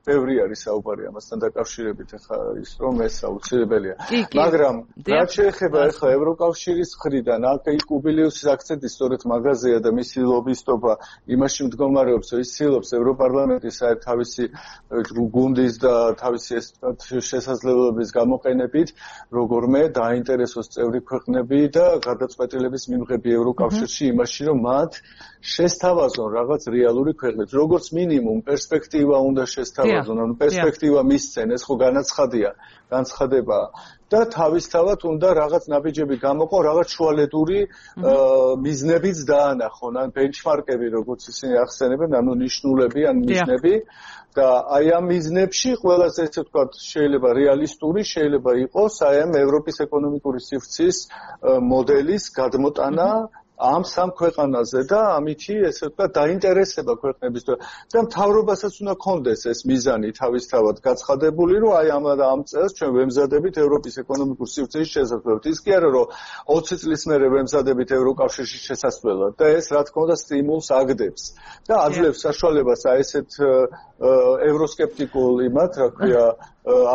ბევრი არის საუბარი ამასთან დაკავშირებით ახლა ის რომ ეს აუცილებელია. მაგრამ რაც შეეხება ახლა ევროკავშირის მხრიდან, აქ კუბილიუსის აქცენტი სწორედ მაგაზეა და მისი ლობისტობა იმაში მდგომარეობს, რომ ის ცდილობს ევროპარლამენტის თავისი გუნდის და თავისი შესაძლებლობების გამოყენებით როგორმე დაინტერესოს წევრი ქვეყნები და გადაწყვეტილების მიღები ევროკავშირში იმაში, რომ მათ შესთავაზონ რაღაც რეალური ქვეყნებს. როგორც მინიმუმ პერსპექტივა უნდა შესთავაზონ, ანუ პერსპექტივა მისცენ, ეს ხო განცხადებაა. და თავისთავად უნდა რაღაც ნაბიჯები გამოყო, რაღაც შუალედური მიზნებიც დაანახონ, ან ბენჩმარკები, როგორც ისინი ახსენებენ, ანუ ნიშნულები ან მიზნები. და აი ამ მიზნებში ყველაზე ესე ვთქვათ, შეიძლება რეალისტური, შეიძლება იყოს აი ამ ევროპის ეკონომიკური სივრცის მოდელის გადმოტანა ამ სამ ქვეყანაზე და ამითი ესე ვთქვათ დაინტერესება ქვეყნების და მთავრობასაც უნდა კონდეს ეს მიზანი თავისთავად გაცხადებული, რომ აი ამ წელს ჩვენ ვემზადებით ევროპის ეკონომიკურ სივრცეში შესაძლებლად. ის კი არა რომ 20 წლის მერე ვემზადებით ევროკავშირში შესაძლებლად და ეს რა თქმა უნდა სტიმულს აგდებს და აძლევს საშუალებას აი ესეთ ევროსკეპტიკულ იმათ, რა ქვია,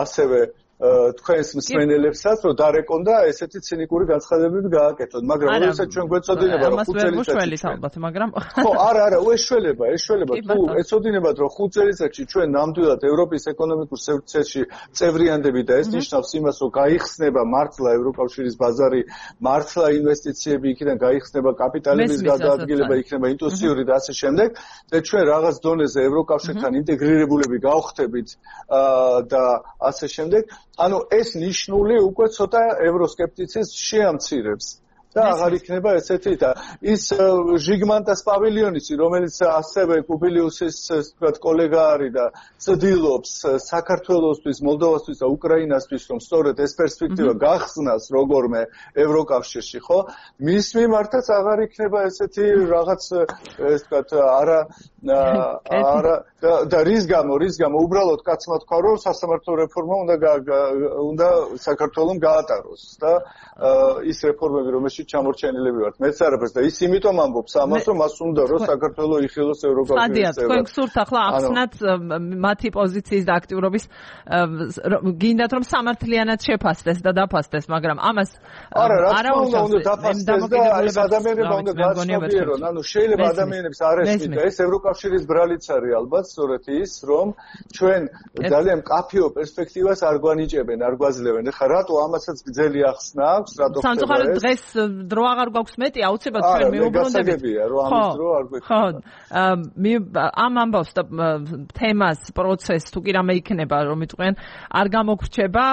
ასევე თქვენს მსმენელებსაც რომ დარეკონ და ესეთი ცინიკური განცხადებები გააკეთოთ, მაგრამ როდესაც ჩვენ გვეცოდინება რომ 5 წელიწადში ალბათ, მაგრამ ხო, არა, ეშველება, თუ ეცოდინებათ რომ 5 წელიწადში ჩვენ ნამდვილად ევროპის ეკონომიკურ სივრცეში წევრიანდები და ეს ნიშნავს იმას, რომ გაიხსნება მართლა ევროკავშირის ბაზარი, მართლა ინვესტიციები იქიდან გაიხსნება, კაპიტალების გადაადგილება იქნება ინტუიტიური და ასე შემდეგ და ჩვენ რაღაც დონეზე ევროკავშირთან ინტეგრირებულები გავხდებით და ასე შემდეგ. ანუ ეს ნიშნული უკვე ცოტა ევროსკეპტიციზმს შეამცირებს და აღარ იქნება ესეთი და ის ჟიგმანტას პავილიონისი, რომელიც ასევე კუბილიუსის თქვათ კოლეგა არის და ცდილობს საქართველოსთვის, მოლდოვასთვის და უკრაინასთვის რომ სწორედ ეს პერსპექტივა გახსნას როგორმე ევროკავშირში, ხო? მის მიმართაც აღარ იქნება ესეთი რაღაც ეს თქვათ არა და რის გამო უბრალოდ კაცმა თქვა რომ სასამართლო რეფორმა უნდა საქართველოს გაატაროს და ის რეფორმები რომელშიც ჩამორჩენილები ვართ მეც არაფერს და ის იმიტომ ამბობს ამას რომ მას უნდა რომ საქართველოს იხილოს ევროკავშირის წევრად. თქვენ გსურთ ახლა ახსნათ მათი პოზიციის და აქტიურობის გინდათ რომ სამართლიანად შეფასდეს და დაფასდეს, მაგრამ ამას არა უნდა დაფასდეს და ეს ადამიანები უნდა გაცნობიერონ, ანუ შეიძლება ადამიანებს არ ესმით ეს ევროკავშირის ბრალიც არის ალბათ სწორედ ის რომ ჩვენ ძალიან მკაფიო პერსპექტივას არ გვანიჭებენ, არ გვაძლევენ. ეხლა რატო ამასაც გძელი ახსნა აქვს, რატო ხდება ეს? სამწუხაროდ დღეს დრო აღარ გვაქვს მეტი, აუცილებლად ჩვენ მიუბრუნდებით. რომ ამის დრო არ გვექნება. ხო, ამ ამბავს და თემას, პროცესს თუ კი რამე იქნება, რომ იტყვიან, არ გამოგრჩება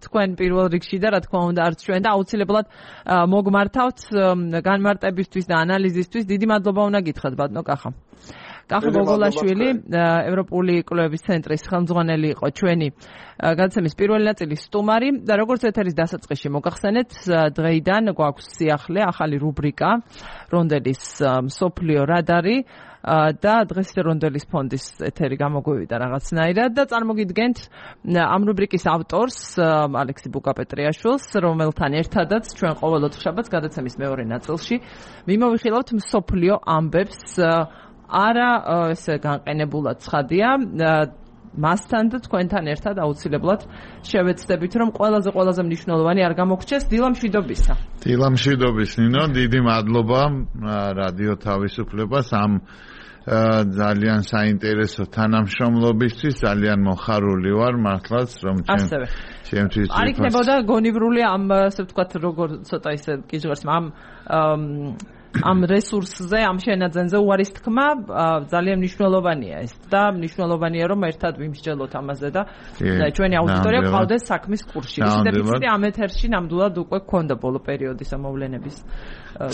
თქვენ პირველ რიგში და რა თქმა უნდა არც ჩვენ და აუცილებლად მოგმართავთ განმარტებისთვის და ანალიზისთვის. დიდი მადლობა უნდა გითხრათ ბატონო კახა. კახა გოგოლაშვილი, ევროპული კვლევების ცენტრის ხელმძღვანელი იყო ჩვენი გადაცემის პირველი ნაწილის სტუმარი და როგორც ეთერის დასაწყისში მოგახსენეთ, დღეიდან გვაქვს სიახლე ახალი რუბრიკა რონდელის მსოფლიო რადარი და დღეს რონდელის ფონდის ეთერი გამოგვივიდა რაღაცნაირად და წარმოგიდგენთ ამ რუბრიკის ავტორს ალექსი ბუკაპეტრიაშვილს, რომელთან ერთადაც ჩვენ ყოველ ოთხშაბათს გადაცემის მეორე ნაწილში მიმოვიხილავთ მსოფლიო ამბებს არა ესე განყენებულად ცხადია მასთან და თქვენთან ერთად აუცილებლად შევეცდებით რომ ყველაზე მნიშვნელოვანი არ გამოგრჩეს. დილამშვიდობისა. დილამშვიდობის ნინო, დიდი მადლობა რადიო თავისუფლებას ამ ძალიან საინტერესო თანამშრომლობისთვის, ძალიან მოხარული ვარ მართლაც რომ ჩემთვის არ იქნებოდა გონივრული ამ ასე ვთქვათ როგორ ცოტა ისე კიჟღერს ამ რესურსზე, ამ შენაძენზე უარის თქმა ძალიან მნიშვნელოვანია ეს და მნიშვნელოვანია რომ ერთად ვიმსჯელოთ ამაზე და ჩვენი აუდიტორია ყავდეს საქმის კურსში. ის დეფიციტი ამ ეთერში ნამდვილად უკვე გქონდა ბოლო პერიოდის ამოვლენების.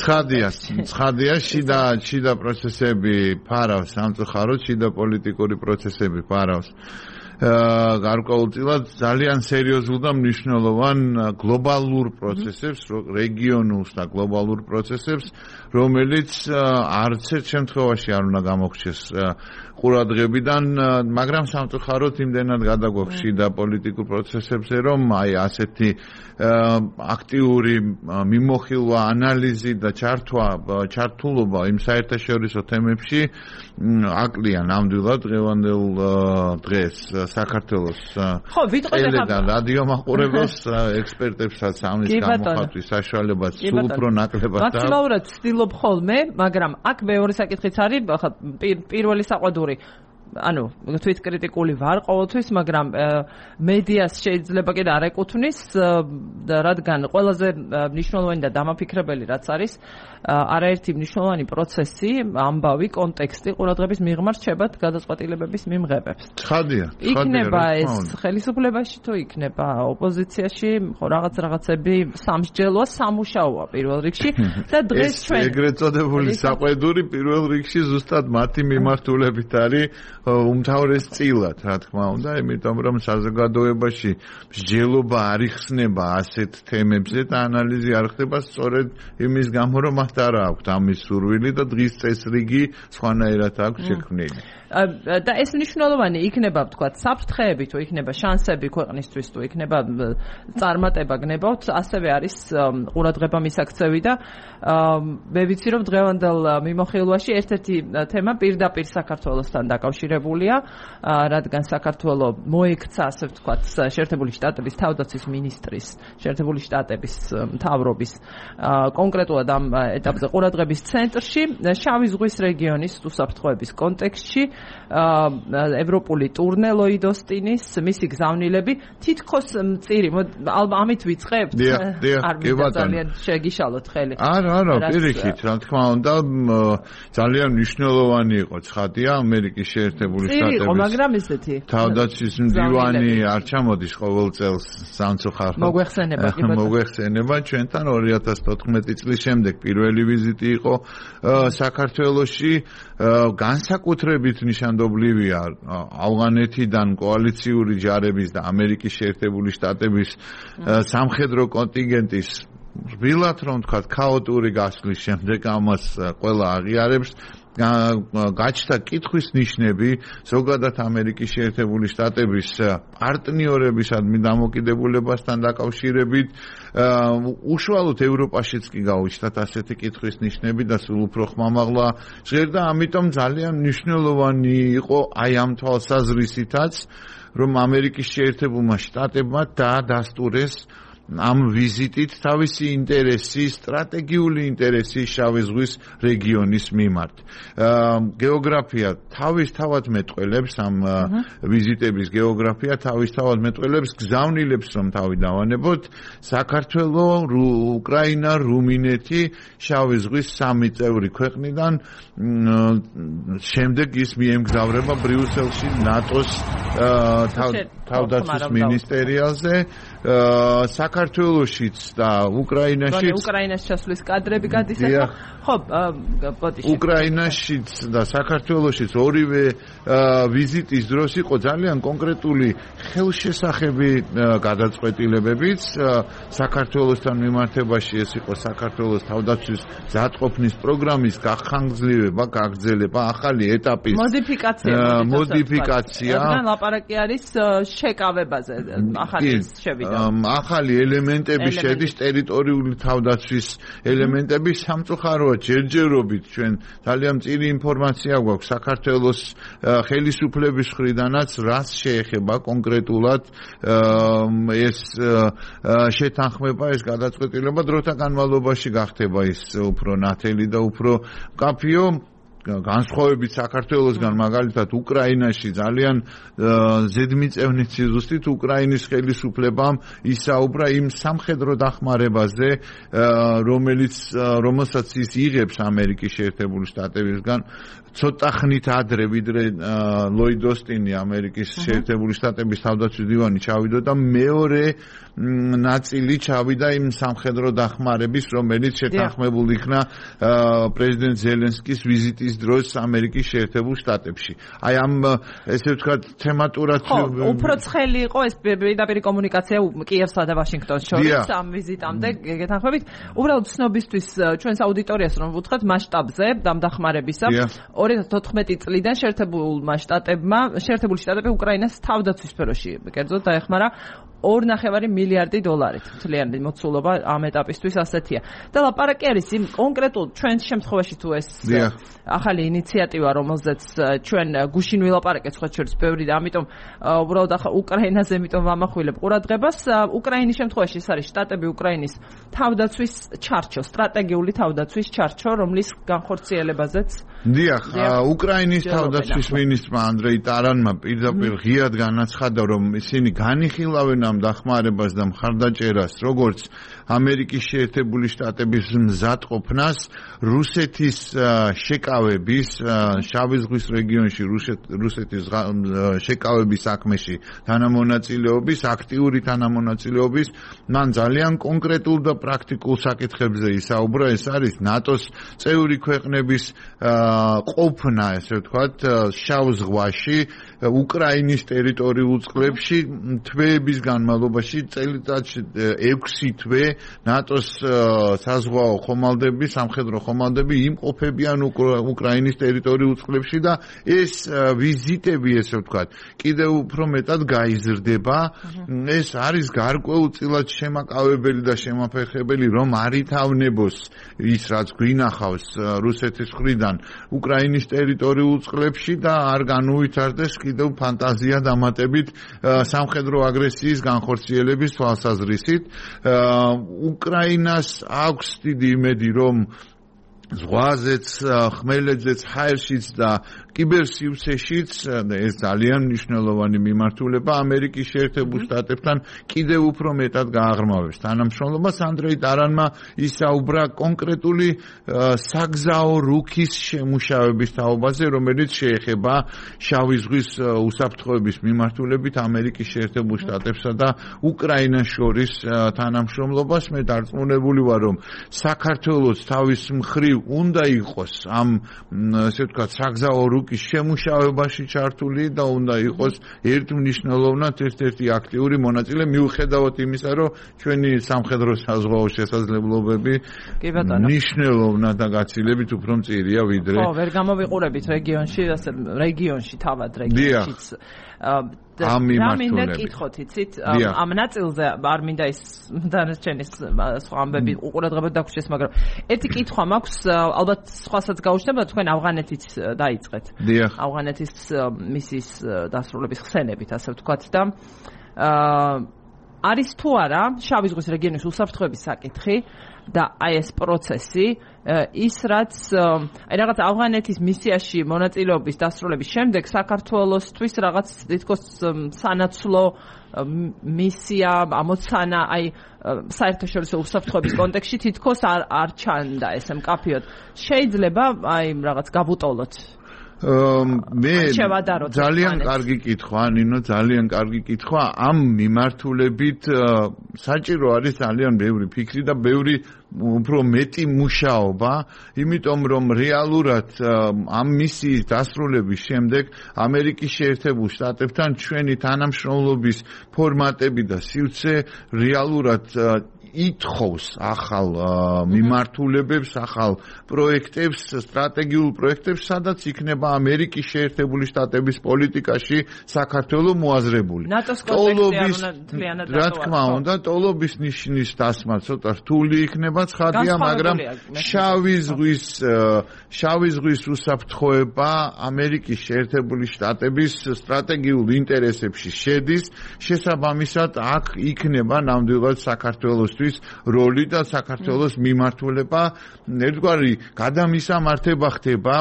ცხადია შიდა პროცესები ფარავს, სამწუხაროდ შიდა პოლიტიკური პროცესები ფარავს გარკვეულწილად ძალიან სერიოზულ და მნიშვნელოვან გლობალურ პროცესებს, რეგიონულს და გლობალურ პროცესებს, რომელიც არც ერთ შემთხვევაში არ უნდა გამოგვჩეს ყურადღებიდან, მაგრამ სამწუხაროდ იმდენად გადაგვაქვს შიდა პოლიტიკურ პროცესებზე, რომ აი ასეთი აქტიური მიმოხილვა, ანალიზი და ჩართულობა იმ საერთაშორისო თემებში აკლია ნამდვილად დღევანდელ დღეს საქართველოს ელედა რადიო მაყურებელს, ექსპერტებსაც ამის გამოხატვის საშუალებაც სულ უფრო ნაკლებად და მაქსიმალურად ვცდილობ ხოლმე, მაგრამ აქ მეორე საკითხიც არის, პირველი საყვადური ანუ თვითკრიტიკული ვარ ყოველთვის, მაგრამ მედიას შეიძლება კიდე არ ეკუთვნის, რადგან ყველაზე მნიშვნელოვანი და დამაფიქრებელი რაც არის, არაერთი მნიშვნელოვანი პროცესი, ამბავი, კონტექსტი ყურადღების მიღმა რჩებათ გადაწყვეტილებების მიმღებებს. ცხადია, იქნება ეს ხელისუფლებაში თუ იქნება ოპოზიციაში, რაღაცები სამსჯელოა, სამუშაოა პირველ რიგში და დღეს ჩვენ ეგრეთ წოდებული საყვედური პირველ რიგში ზუსტად მათი მიმართულებით არის უმთავრეს წილად, რა თქმა უნდა, იმიტომ რომ საზოგადოებაში მსჯელობა არ იხსნება ასეთ თემებზე და ანალიზი არ ხდება სწორედ იმის გამო, რომ მათ არ აქვს ამის სურვილი და დღის წესრიგი სხვანაირად აქვს შექმნილი. და ეს მნიშვნელოვანი იქნება, ვთქვათ, საფრთხეები თუ იქნება შანსები ქვეყნისთვის თუ იქნება წარმატება გნებავთ, ასევე არის ყურადღება მისაქცევი და მე ვიცი, რომ დღევანდელ მიმოხილვაში ერთ-ერთი თემა პირდაპირ საქართველოსთან დაკავშირებულია, რადგან საქართველო მოექცა, ასე ვთქვათ, შეერთებული შტატების თავდაცვის მინისტრის, შეერთებული შტატების მთავრობის კონკრეტულად ამ ეტაპზე ყურადღების ცენტრში, შავი ზღვის რეგიონის უსაფრთხოების კონტექსტში, ევროპული ტურნე ლოიდ ოსტინის, მისი გზავნილები თითქოს მწირი, ამით ვიწყებთ? არ მინდა ძალიან შეგიშალოთ ხელი. არა, პირიქით, რა თქმა უნდა, ძალიან მნიშვნელოვანი იყო ცხადია ამერიკის შეერთებული შტატების. მაგრამ ესეთი. თავდაცვის მდივანი არ ჩამოდის ყოველ წელს სამწუხაროდ. მოგვეხსენება ჩვენთან 2014 წლის შემდეგ პირველი ვიზიტი იყო საქართველოში, განსაკუთრებით ნიშანდობლივია ავღანეთიდან კოალიციური ჯარების და ამერიკის შეერთებული შტატების სამხედრო კონტინგენტის რბილად რომ თქვა ქაოტური გასვლის შემდეგ ამას ყველა აღიარებს. გაჩნდა კითხვის ნიშნები ზოგადად ამერიკის შეერთებული შტატების პარტნიორებისადმი დამოკიდებულებასთან დაკავშირებით, უშუალოდ ევროპაშიც კი გაუჩნდათ ასეთი კითხვის ნიშნები და სულ უფრო ხმამაღლა ჟღერდა, ამიტომ ძალიან მნიშვნელოვანი იყო აი ამ თვალსაზრისითაც, რომ ამერიკის შეერთებულმა შტატებმა დაადასტურეს ამ ვიზიტით თავისი ინტერესი, სტრატეგიული ინტერესი შავი ზღვის რეგიონის მიმართ. გეოგრაფია თავისთავად მეტყველებს ამ ვიზიტების გეოგრაფია თავისთავად მეტყველებს გზავნილებს რომ თავი დავანებოთ საქართველოს, უკრაინა, რუმინეთი, შავი ზღვის სამი წევრი ქვეყნიდან შემდეგ ის მიემგზავრება ბრიუსელში ნატოს თავდაცვის მინისტერიალზე. საქართველოშიც და უკრაინაშიც უკრაინას ჩასვლის კადრები გადის ახლა ხო ბოდიში უკრაინაშიც და საქართველოშიც ორივე ვიზიტის დროს იყო ძალიან კონკრეტული ხელშესახები გადაწყვეტილებებიც საქართველოსთან მიმართებაში. ეს იყო საქართველოს თავდაცვის გზატყოფნის პროგრამის გახანგრძლივება, გაგრძელება, ახალი ეტაპის მოდიფიკაცია. რადგან ლაპარაკი არის შეკავებაზე, ახალი შევიდა. ახალი ელემენტები შედის ტერიტორიული თავდაცვის ელემენტები. სამწუხაროა ჯერჯერობით ჩვენ ძალიან მწირი ინფორმაცია გვაქვს საქართველოს ხელისუფლების მხრიდანაც, რაც შეეხება კონკრეტულად ეს შეთანხმება, ეს გადაწყვეტილება დროთა განმავლობაში გახდება ის უფრო ნათელი და უფრო მკაფიო. განსხვავებით საქართველოსგან, მაგალითად უკრაინაში ძალიან ზედმიწევნით სიზუსტით უკრაინის ხელისუფლებამ ისაუბრა იმ სამხედრო დახმარებაზე, რომელსაც ის იღებს ამერიკის შეერთებული შტატებისგან ცოტა ხნით ადრე, ვიდრე ლოიდ ოსტინი ამერიკის შეერთებული შტატების თავდაცვის დივანი ჩავიდა და მეორე ნაწილი ჩავიდა იმ სამხედრო დახმარების, რომელიც შეთანხმებული იქნა პრეზიდენტ ზელენსკის ვიზიტის დროს ამერიკის შეერთებულ შტატებში. აი ამ ესე ვთქვათ თემატურად უფრო ცხელი იყო ეს პირდაპირ კომუნიკაცია კიევსა და ვაშინგტონს შორის ამ ვიზიტამდე გეთანხმებით. უბრალოდ ცნობისთვის ჩვენს აუდიტორიას რომ ვუთხრათ მასშტაბზე დამდახმარებისა 2014 წლიდან შეერთებული შტატები უკრაინას თავდაცვის სფეროში კერძოდ დაეხმარა 2.5 მილიარდი დოლარით. მთლიანი მოცულობა ამ ეტაპისთვის ასეთია. და ლაპარაკი არის იმ კონკრეტულ ჩვენს შემთხვევაში თუ ეს ახალი ინიციატივა, რომელზეც ჩვენ გუშინ ვილაპარაკეთ სხვა შორის ბევრი და ამიტომ უბრალოდ უკრაინაზე ამიტომ ვამახვილებ ყურადღებას. უკრაინის შემთხვევაში ეს არის შტატები უკრაინის თავდაცვის ჩარჩო, სტრატეგიული თავდაცვის ჩარჩო, რომლის განხორციელებაზეც დიახ, უკრაინის თავდაცვის მინისტრმა ანდრეი ტარანმა პირდაპირ ღიად განაცხადა, რომ ისინი განიხილავენ ამ დახმარებას და მხარდაჭერას, როგორც ამერიკის შეერთებული შტატების მზადყოფნას რუსეთის შეკავების შავი ზღვის რეგიონში რუსეთის შეკავების საქმეში თანამონაწილეობის, აქტიური თანამონაწილეობის, მან ძალიან კონკრეტულ და პრაქტიკულ საკითხებზე ისაუბრა. ეს არის ნატოს წევრი ქვეყნების ყოფნა, ესე ვთქვათ, შავ ზღვაში, უკრაინის ტერიტორიულ წყლებში თვეების განმავლობაში წელიწადში 6 თვე ნატოს საზღვაო ხომალდები, სამხედრო ხომალდები იმყოფებიან უკრაინის ტერიტორიულ წყლებში და ეს ვიზიტები, ესე ვთქვათ, კიდევ უფრო მეტად გაიზრდება. ეს არის გარკვეულწილად შემაკავებელი და შემაფერხებელი, რომ არ ითავნებოს ის, რაც გვინახავს რუსეთის მხრიდან უკრაინის ტერიტორიულ წყლებში და არ განუვითარდეს კიდევ ფანტაზია დამატებით სამხედრო აგრესიის განხორციელების თვალსაზრისით. უკრაინას აქვს დიდი იმედი, რომ ზღვაზეც, ხმელეთზეც, ჰაერშიც და კიბერსივრცეშიც ეს ძალიან მნიშვნელოვანი მიმართულება ამერიკის შეერთებულ შტატებთან კიდევ უფრო მეტად გააღრმავებს თანამშრომლობას. ანდრეი ტარანმა ისაუბრა კონკრეტული საგზაო რუქის შემუშავების თაობაზე, რომელიც შეეხება შავი ზღვის უსაფრთხოების მიმართულებით ამერიკის შეერთებულ შტატებსა და უკრაინას შორის თანამშრომლობას. მე დარწმუნებული ვარ, რომ საქართველოს თავის მხრივ უნდა იყოს ამ ესე ვთქვათ საგზაო რუკის შემუშავებაში ჩართული და უნდა იყოს ერთმნიშვნელოვნად ერთ-ერთი აქტიური მონაწილე მიუხედავად იმისა, რომ ჩვენი სამხედრო საზღვაო შესაძლებლობები მნიშვნელოვნად და გაცილებით უფრო მწირია ვიდრე. ხო, ვერ გამოვიყურებით რეგიონში თავად რეგიონშიც. ამ მიმართულებით. რა მინდა კითხოთ, იცით? ამ ნაწილზე არ მინდა ის დანარჩენი სხვა ამბები უყურადღებოდ დაგვრჩეს, მაგრამ ერთი კითხვა მაქვს, ალბათ სხვასაც გაუჩნდება, თქვენ ავღანეთით დაიწყეთ. ავღანეთის მისიის დასრულების ხსენებით, ასე ვთქვათ და არის თუ არა შავი ზღვის რეგიონის უსაფრთხოების საკითხი და აი ეს პროცესი ის რაც აი რაღაც ავღანეთის მისიაში მონაწილეობის დასრულების შემდეგ საქართველოსთვის რაღაც თითქოს სანაცვლო მისია ამოცანა აი საერთაშორისო უსაფრთხოების კონტექსტში თითქოს არ ჩანდა ეს მკაფიოდ. შეიძლება აი რაღაც გაბუტოლოთ მე ძალიან კარგი კითხვა, ნინო, ძალიან კარგი კითხვა. ამ მიმართულებით საჭირო არის ძალიან ბევრი ფიქრი და ბევრი უფრო მეტი მუშაობა, იმიტომ რომ რეალურად ამ მისიის დასრულების შემდეგ ამერიკის შეერთებულ შტატებთან ჩვენი თანამშრომლობის ფორმატები და სივრცე რეალურად ითხოვს ახალ მიმართულებებს, ახალ პროექტებს, სტრატეგიულ პროექტებს, სადაც იქნება ამერიკის შეერთებული შტატების პოლიტიკაში საქართველო მოაზრებული. ნატოს კონტექსტი არ რა თქმა უნდა, ტოლობის ნიშნის დასმა ცოტა რთული იქნება, ცხადია, მაგრამ შავი ზღვის უსაფრთხოება ამერიკის შეერთებული შტატების სტრატეგიულ ინტერესებში შედის, შესაბამისად აქ იქნება ნამდვილად საქართველოსთვის როლი და საქართველოს მიმართულება ერთგვარი გადამისამართება ხდება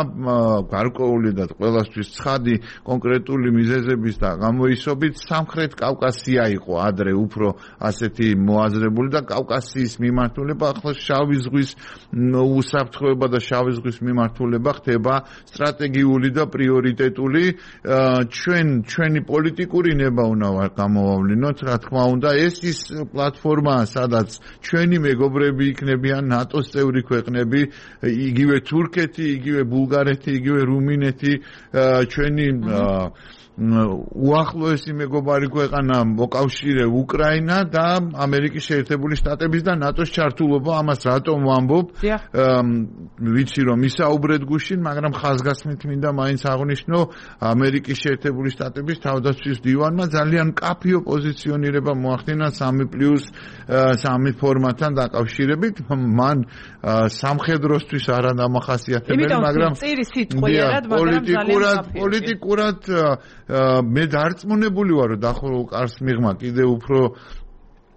გარკვეული და ყველასთვის ცხადი კონკრეტული მიზეზების და გამოისობით სამხრეთ კავკასია იყო ადრე უფრო ასეთი მოაზრებული და კავკასიის მიმართულება ახლა შავი ზღვის უსაფრთხოება და შავი ზღვის მიმართულება ხდება სტრატეგიული და პრიორიტეტული. ჩვენი პოლიტიკური ნება უნდა გამოვავლინოთ, რა თქმა უნდა, ეს ის პლატფორმაა, სადაც სადაც ჩვენი მეგობრები იქნებიან ნატოს წევრი ქვეყნები, იგივე თურქეთი, იგივე ბულგარეთი, იგივე რუმინეთი, ჩვენი უახლოესი მეგობარი ქვეყანა მოკავშირე უკრაინა და ამერიკის შეერთებული შტატების და ნატოს ჩართულობა. ამას რატომ ვამბობ? ვიცი რომ ისაუბრეთ გუშინ, მაგრამ ხაზგასმით მინდა მაინც აღვნიშნო ამერიკის შეერთებული შტატების თავდაცვის დივანმა ძალიან კაფიო პოზიციონირება მოახდინა 3+3 ფორმატთან დაკავშირებით. მან სამხედროსთვის არა დამახასიათებელი, მაგრამ პოლიტიკურად მე დარწმუნებული ვარ, რომ დახურულ კარს მიღმა კიდე უფრო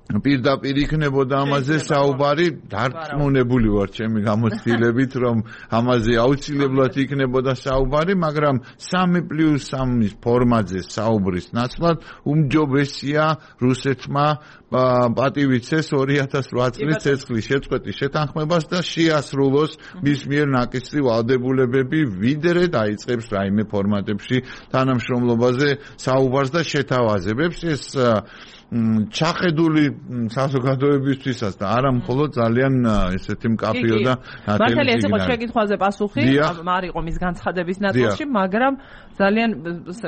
პირდაპირ იქნებოდა ამაზე საუბარი, დარწმუნებული ვარ ჩემი გამოცდილებით, რომ ამაზე აუცილებლად იქნებოდა საუბარი, მაგრამ 3+3 ფორმატზე საუბრის ნაცვლად უმჯობესია რუსეთმა პატივიცეს 2008 წლის ცეცხლის შეწყვეტის შეთანხმებას და შეასრულოს მის მიერ ნაკისრი ვალდებულებები, ვიდრე დაიწყებს რაიმე ფორმატებში თანამშრომლობაზე საუბარს და შეთავაზებებს. ეს ჩახედული საზოგადოებისთვისაც და არა მხოლოდ ძალიან ესეთი მკაფიო და ნათელი. მართალია ეს იყო შეკითხვაზე პასუხი, არ იყო მის განცხადების ნაწილში, მაგრამ ძალიან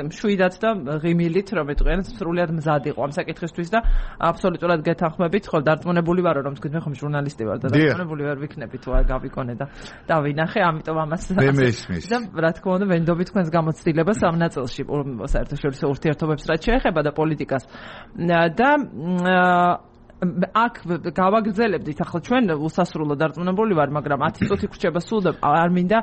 მშვიდად და ღიმილით, რომ ეტყვიან, სრულიად მზად იყო ამ საკითხისთვის და აბსოლუტურად გეთანხმებით, ხო დარწმუნებული ვარო, რომ თქვენ ხომ ჟურნალისტი ვარ და დარწმუნებული ვარ ვიქნები თუ არ გავიკონე და დავინახე, ამიტომ ამას და რა თქმა უნდა ვენდობი თქვენს გამოცდილებას ამ ნაწილში საერთაშორისო ურთიერთობებს რაც შეეხება და პოლიტიკას. და აქ გავაგრძელებდით ახლა ჩვენ უსასრულო დარწმუნებული ვარ, მაგრამ 10 წუთი ხრჩება სულ და არ მინდა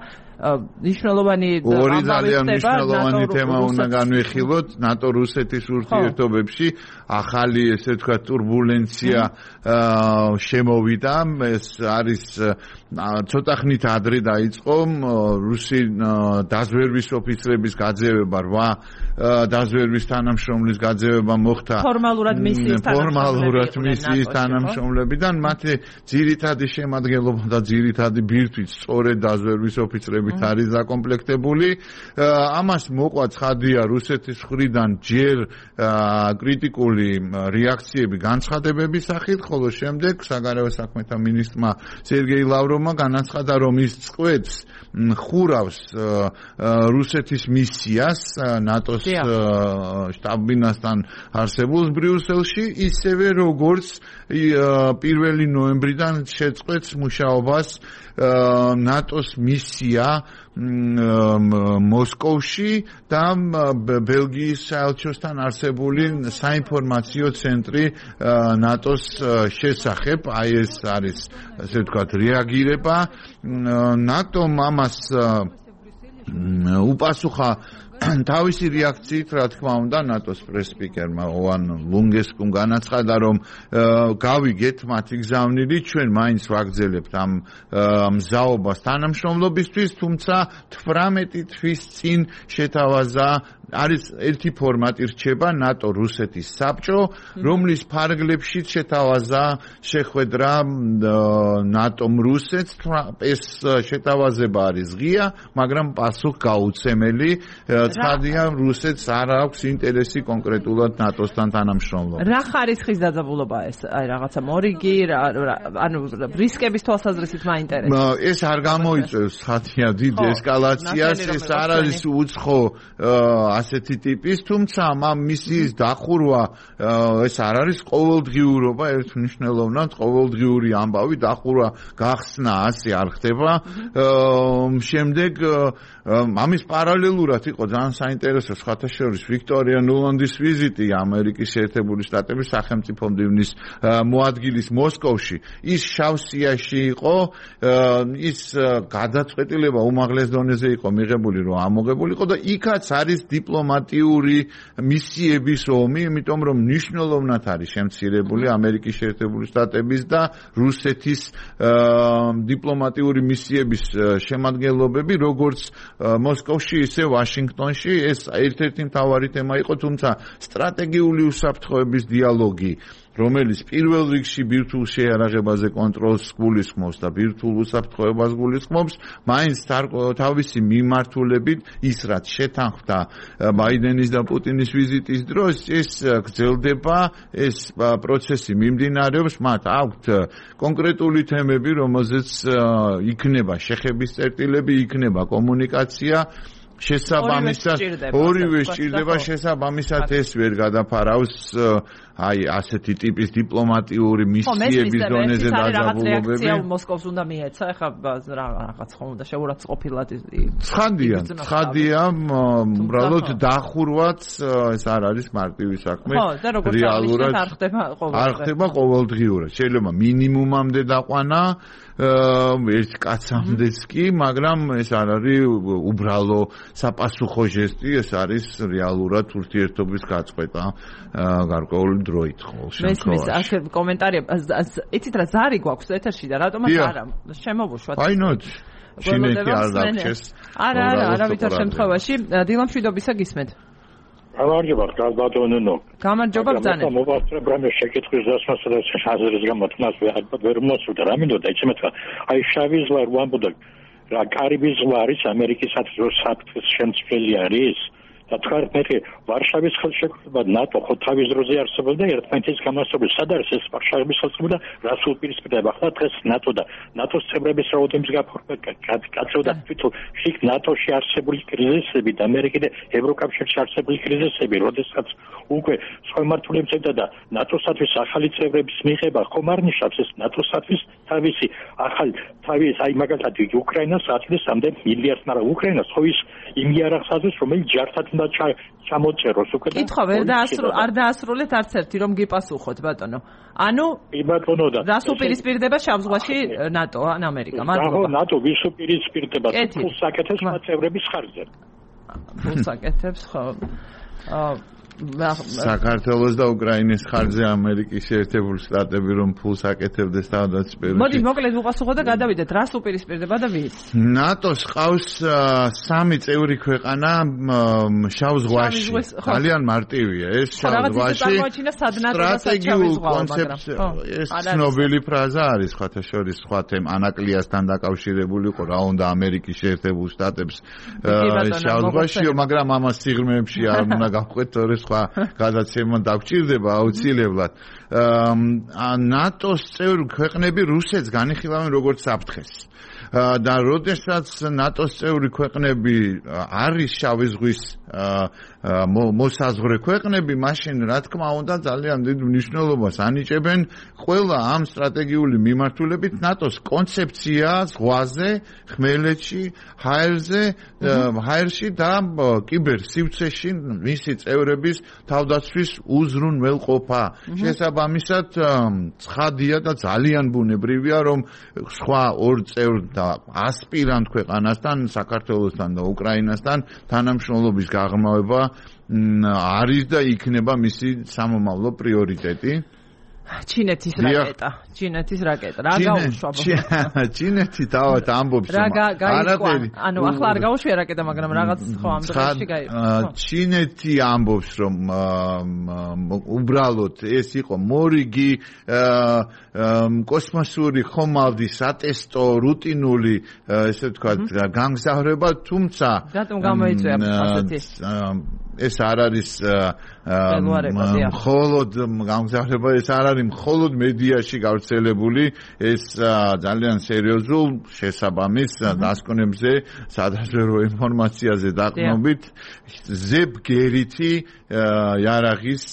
მნიშვნელოვანი ორი ძალიან მნიშვნელოვანი თემა უნდა განვიხილოთ ნატო-რუსეთის ურთიერთობებში. ახალი ესე თქვა турბულენცია შემოვიდა, ეს არის ცოტა ხნით ადრე დაიწყო რუსი დაზვერვის ოფიცრების გაძევება, 8 დაზვერვის თანამშრომლის გაძევება მოხდა ფორმალურად მისიის თანამშრომლებიდან, მათი ძირითადი შემადგენლობა და ძირითადი ბირთვით სწორედ დაზვერვის ოფიცრებით არის დაკომპლექტებული. ამას მოყვა ცხადია რუსეთის მხრიდან ჯერ კრიტიკული რეაქციები განცხადებების სახით, ხოლო შემდეგ საგარეო საქმეთა მინისტრმა სერგეი ლავროვმა განაცხადა, რომ ის წყვეტს ხურავს რუსეთის მისიას ნატოს შტაბ-ბინასთან არსებულს ბრიუსელში, ისევე როგორც 1 ნოემბრიდან შეწყვეტს მუშაობას ნატოს მისია მოსკოვში და ბელგიის საელჩოსთან არსებული საინფორმაციო ცენტრი ნატოს შესახებ. აი ეს არის ასე ვთქვათ რეაგირება. ნატომ ამას უპასუხა თავისი რეაქციით, რა თქმა უნდა, ნატოს პრეს-სპიკერმა ოვან ლუნგესკუმ განაცხადა, რომ გავიგეთ მათი გზავნილი, ჩვენ მაინც ვაგრძელებთ ამ მზაობას თანამშრომლობისთვის, თუმცა 18 თვის წინ შეთავაზა არის ერთი ფორმატი რჩება ნატო-რუსეთის საბჭო, რომლის ფარგლებშიც შეთავაზა შეხვედრა ნატომ რუსეთს. ეს შეთავაზება არის ღია, მაგრამ პასუხ გაუცემელი. ცხადია, რუსეთს არ აქვს ინტერესი კონკრეტულად ნატოსთან თანამშრომლობა. რა ხარისხის დაძაბულობაა ეს? აი რაღაცა მორიგი, ანუ რისკების თვალსაზრისით მაინტერესებს. ეს არ გამოიწვევს ხათია დიდ ესკალაციას, ეს არ არის უცხო ასეთი ტიპის, თუმცა ამ მისიის დახურვა ეს არ არის ყოველდღიურობა, ერთმნიშვნელოვნად ყოველდღიური ამბავი, დახურვა გახსნა ასე არ ხდება. შემდეგ ამის პარალელურად იყო ძალიან საინტერესო ხათაშორის ვიქტორია ნულანდის ვიზიტი ამერიკის შეერთებული შტატების სახელმწიფო მდივნის მოადგილის მოსკოვში. ის შავსიაში იყო, ის გადაწყვეტილება უმაღლეს დონეზე იყო მიღებული, რომ ამოღებულიყო და იქაც არის დიპლომატიური მისიების ომი, იმიტომ რომ მნიშვნელოვნად არის შემცირებული ამერიკის შეერთებული შტატების და რუსეთის დიპლომატიური მისიების შემადგენლობები, როგორც მოსკოვში, ისე ვაშინგტონში. რეგიონში ეს ერთ-ერთი მთავარი თემა იყო, თუმცა სტრატეგიული უსაფრთხოების დიალოგი, რომელიც პირველ რიგში ბირთვულ შეიარაღებაზე კონტროლს გულისხმობს და ბირთვულ უსაფრთხოებას გულისხმობს, მაინც თავისი მიმართულებით ის რაც შეთანხმდა ბაიდენის და პუტინის ვიზიტის დროს, ეს გრძელდება, ეს პროცესი მიმდინარეობს, მათ აქვთ კონკრეტული თემები, რომელზეც იქნება შეხების წერტილები, იქნება კომუნიკაცია შესაბამისად ორივე სჭირდება შესაბამისად ეს ვერ გადაფარავს აი ასეთი ტიპის დიპლომატიური მისიების დონეზე დაძაბულობები. მოსკოვს უნდა მიეცა, ეხლა რაღაც ხომ უნდა შეურაცხყოფილად. ცხადია, უბრალოდ დახურვაც ეს არ არის მარტივი საქმე. რეალურად არ ხდება ყოველდღიურად. შეიძლება მინიმუმამდე დაყვანა ერთ კაცამდეც კი, მაგრამ ეს არ არის უბრალო საპასუხო ჟესტი, ეს არის რეალურად ურთიერთობის გაწყვეტა გარკვეული დროით ყოველ შემთხვევაში. მესმის კომენტარია, იცით რა ზარი გვაქვს ეთერში და რატომაც არა შემოვუშვათ. Why not? ჩინეთი არ დაგჭეს. არა, ვითარ შემთხვევაში დილამშვიდობისა გისმენთ. გამარჯობა, გალბატონო. გამარჯობა ბრძანე. მოვასწრებ რამე შეკითხვის დასმასა და აზრის გამოთქმას ვერ მოსულა. რა მინდოდა, იცით რა, აი შავი ზღვა ვამბობდა, რა კარიბის ზღვა არის ამერიკისათვის საფრთხის შემცვლელი არის. და თქვენ მე ვარშავის ხელშეკრულება ნატო ხო თავის დროზე არსებობდა ერთმანეთის გამოსწორების სად არის ეს ვარშავის ხელშეკრულება რას უპირისპირდება ხა დღეს ნატო და ნატოს წევრების რაოდენობის გაფორმება გაწევდა თვითონ შიგ ნატოში არსებული კრიზისები და ამერიკა და ევროკავშირში არსებული კრიზისები როდესაც უკვე სხვა მართულებსა და ნატოსათვის ახალი წევრების მიღება ხომ არ ნიშნავს ეს ნატოსათვის თავისი ახალი თავის აი მაგალითად უკრაინას აწლის ამდენ მილიარდს მაგრამ უკრაინას ხო ის იმ იარაღს აზრს რომელიც ჯართან ჩამოწეროს უკვე და კითხვა არ დაასრულეთ არც ერთი რომ გიპასუხოთ ბატონო. ანუ ბატონო და რას უპირისპირდება შავ ზღვაში ნატო ან ამერიკა? მადლობა. ნატო ვის უპირისპირდება ფულს აკეთებს წევრების ხარჯზე. ფულს აკეთებს ხო. საქართველოს და უკრაინის ხარჯზე ამერიკის შეერთებული შტატები რომ ფულს აკეთებდეს თავდაცვითი. მოდი მოკლედ უპასუხოთ და გადავიდეთ რას უპირისპირდება და ვის. ნატოს ყავს 3 წევრი ქვეყანა შავ ზღვაში. ძალიან მარტივია ეს შავ ზღვაში. სტრატეგიულ კონცეფცია ეს ცნობილი ფრაზა არის ხათა შორის სხვა თემ ანაკლიასთან დაკავშირებული იყო რა უნდა ამერიკის შეერთებულ შტატებს შავ ზღვაში, მაგრამ ამას სიღრმეებში არ უნდა გავყვეთ თორე გადაცემა დაგჭირდება აუცილებლად. ნატოს წევრ ქვეყნები რუსეთს განიხილავენ როგორც საფრთხეს. და როდესაც ნატოს წევრი ქვეყნები არის შავი ზღვის მოსაზღვრე ქვეყნები, მაშინ რა თქმა უნდა ძალიან დიდ მნიშვნელობას ანიჭებენ ყველა ამ სტრატეგიული მიმართულებით ნატოს კონცეფცია ზღვაზე, ხმელეთში, ჰაერში და კიბერ სივრცეში მისი წევრების თავდაცვის უზრუნველყოფა. შესაბამისად, ცხადია და ძალიან ბუნებრივია, რომ სხვა ორ წევრ და ასპირანტ ქვეყანასთან, საქართველოსთან და უკრაინასთან თანამშრომლობის გაღრმავება არის და იქნება მისი სამომავლო პრიორიტეტი. ჩინეთის რაკეტა. რა გაუშვა? ჩინეთი თავად ამბობს, რომ ანუ ახლა არ გაუშვია რაკეტა, მაგრამ რაღაც ხო ამ დროში გაიყო. ჩინეთი ამბობს, რომ უბრალოდ ეს იყო მორიგი კოსმოსური ხომალდი სატესტო რუტინული ესე ვთქვათ გამგზავრება, თუმცა რატომ გამოიწვია ასეთი ეს არ არის მხოლოდ გამგზავრება, ეს არ არის მხოლოდ მედიაში გავრცელებული, ეს ძალიან სერიოზულ შესაბამის დასკვნებზე, სადაზვერვო ინფორმაციაზე დაყრდნობით ზებგერითი იარაღის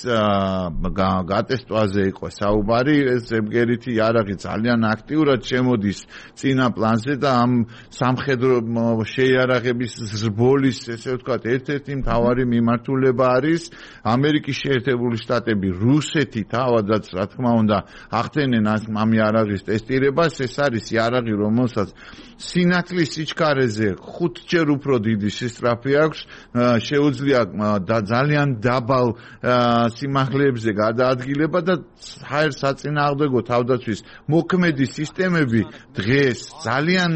გატესტვაზე იყო საუბარი. ეს ზებგერითი იარაღი ძალიან აქტიურად შემოდის წინა პლანზე და ამ სამხედრო შეიარაღების ზრბოლის, ესე ვთქვათ, ერთ-ერთი მთავარი მიმართულება მიმართულება არის ამერიკის შეერთებული შტატები რუსეთი თავადაც რა თქმა უნდა ახდენენ ამ იარაღის ტესტირებას ეს არის იარაღი რომელსაც სინათლის სიჩქარეზე 5-ჯერ უფრო დიდი სისწრაფე აქვს შეუძლია და ძალიან დაბალ სიმაღლეებზე გადაადგილება და ჰაერს საწინააღმდეგო თავდაცვის მოქმედი სისტემები დღეს ძალიან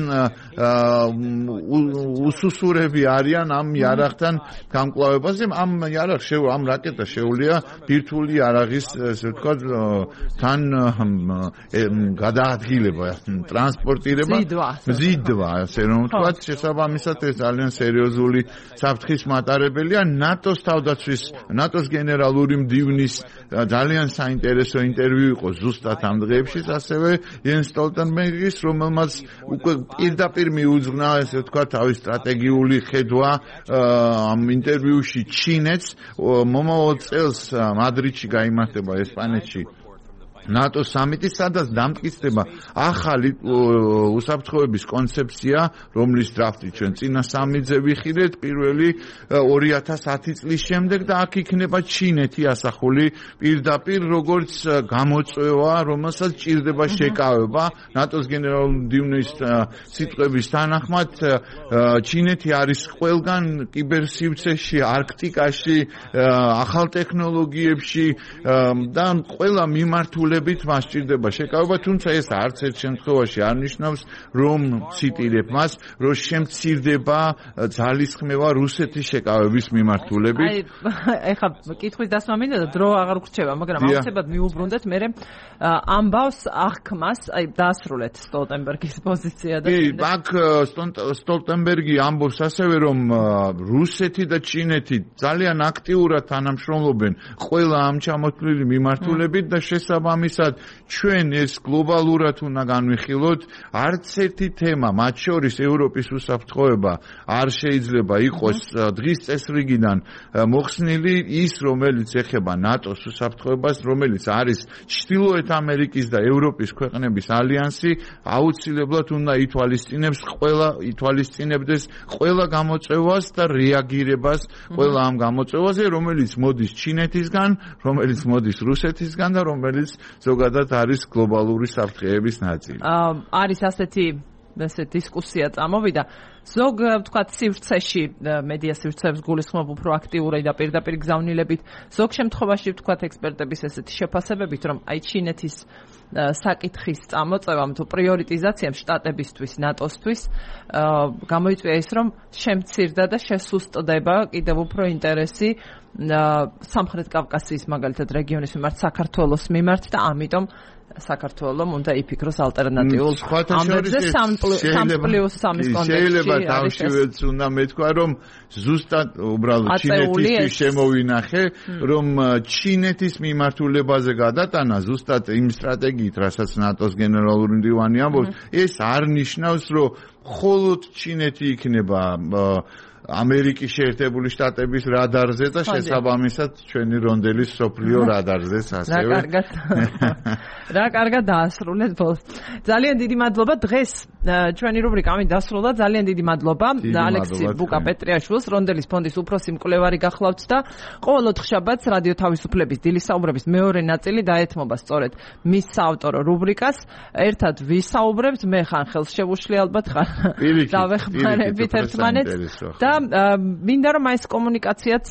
უსუსურები არიან ამ იარაღთან გამკლავებაზე ამ იარაღს ამ რაკეტას შეუძლია ბირთვული იარაღის ესე ვთქვათ თან გადაადგილება ტრანსპორტირება ზიდვა ასე რომ ვთქვათ შესაბამისად ეს ძალიან სერიოზული საფრთხის მატარებელია ნატოს გენერალური მდივნის ძალიან საინტერესო ინტერვიუ იყო ზუსტად ამ დღეებში ასევე იენს სტოლტენბერგის რომელმაც უკვე პირდაპირ მიუძღვნა ესე ვთქვათ თავის სტრატეგიული ხედვა ამ ინტერვიუში ჩინეთს მომავალ წელს მადრიდში გაიმართება ესპანეთში ნატოს სამიტი სადაც დამტკიცდება ახალი უსაფრთხოების კონცეფცია რომლის დრაფტი ჩვენ წინა სამიტზე ვიხილეთ პირველი 2010 წლის შემდეგ და აქ იქნება ჩინეთი ასახული პირდაპირ როგორც გამოწვევა რომელსაც ჭირდება შეკავება ნატოს გენერალური მდივნის სიტყვების თანახმად ჩინეთი არის ყველგან კიბერსივრცეში არქტიკაში ახალ ტექნოლოგიებში და ყველა მიმართულებით მას ჭირდება შეკავება, თუმცა ეს არც ერთ შემთხვევაში არ ნიშნავს, რომ ციტირებ მას, რომ შემცირდება ძალისხმევა რუსეთის შეკავების მიმართულებით. ეხლა კითხვის დასმა მინდა და დრო აღარ გრჩება, მაგრამ აუცილებლად მიუბრუნდეთ მე ამბავს აღქმას, დაასრულეთ სტოლტენბერგის პოზიცია და აქ სტოლტენბერგი ამბობს ასევე, რომ რუსეთი და ჩინეთი ძალიან აქტიურად თანამშრომლობენ ყველა ამ ჩამოთვლილი მიმართულებით და შესაბამისად ჩვენ ეს გლობალურად უნდა განვიხილოთ არც ერთი თემა მათ შორის ევროპის უსაფრთხოება არ შეიძლება იყოს დღის წესრიგიდან მოხსნილი ის რომელიც ეხება ნატოს უსაფრთხოებას რომელიც არის ჩრდილოეთ ამერიკის და ევროპის ქვეყნების ალიანსი აუცილებლად უნდა ითვალისწინებდეს ყველა გამოწვევას და რეაგირებას ყველა ამ გამოწვევაზე რომელიც მოდის ჩინეთისგან რომელიც მოდის რუსეთისგან და რომელიც ზოგადად არის გლობალური საფრთხეების ნაწილი. არის ასეთი დისკუსია წამოვიდა. ზოგ ვთქვათ სივრცეში მედია სივრცეებს გულისხმობ უფრო აქტიური და პირდაპირ გზავნილებით. ზოგ შემთხვევაში ვთქვათ ექსპერტების ესეთი შეფასებებით, რომ აი ჩინეთის საკითხის წამოწევამ თუ პრიორიტიზაციამ შტატებისთვის, ნატოსთვის გამოიწვია ის, რომ შემცირდა და შესუსტდება კიდევ უფრო ინტერესი სამხრეთ კავკასიის მაგალითად რეგიონის მიმართ, საქართველოს მიმართ და ამიტომ საქართველოს უნდა იფიქროს ალტერნატიულ ამბებზე 3+3-ის კონტექსტში. შეიძლება თავშივეც უნდა მეთქვა, რომ ზუსტად უბრალოდ ჩინეთის შემოვინახე, რომ ჩინეთის მიმართულებაზე გადატანა ზუსტად იმ სტრატეგიით, რასაც ნატოს გენერალური მდივანი ამბობს, ეს არ ნიშნავს, რომ მხოლოდ ჩინეთი იქნება ამერიკის შეერთებული შტატების რადარზე და შესაბამისად ჩვენი რონდელის სოფლიო რადარზეც ასევე. რა კარგად დაასრულეთ ბოლოს. ძალიან დიდი მადლობა დღეს ჩვენი რუბრიკა ამით დასრულდა. ძალიან დიდი მადლობა ალექსი ბუკა-პეტრიაშვილს, რონდელის ფონდის უფროსი მკვლევარი გახლავთ და ყოველ ოთხშაბათს რადიო თავისუფლების დილის საუბრების მეორე ნაწილი დაეთმობა სწორედ მის საავტორო რუბრიკას. ერთად ვისაუბრებთ, მე ხან ხელს შევუშლი ალბათ ხარ დავეხმარებით ერთმანეთს და მინდა რომ ეს კომუნიკაციაც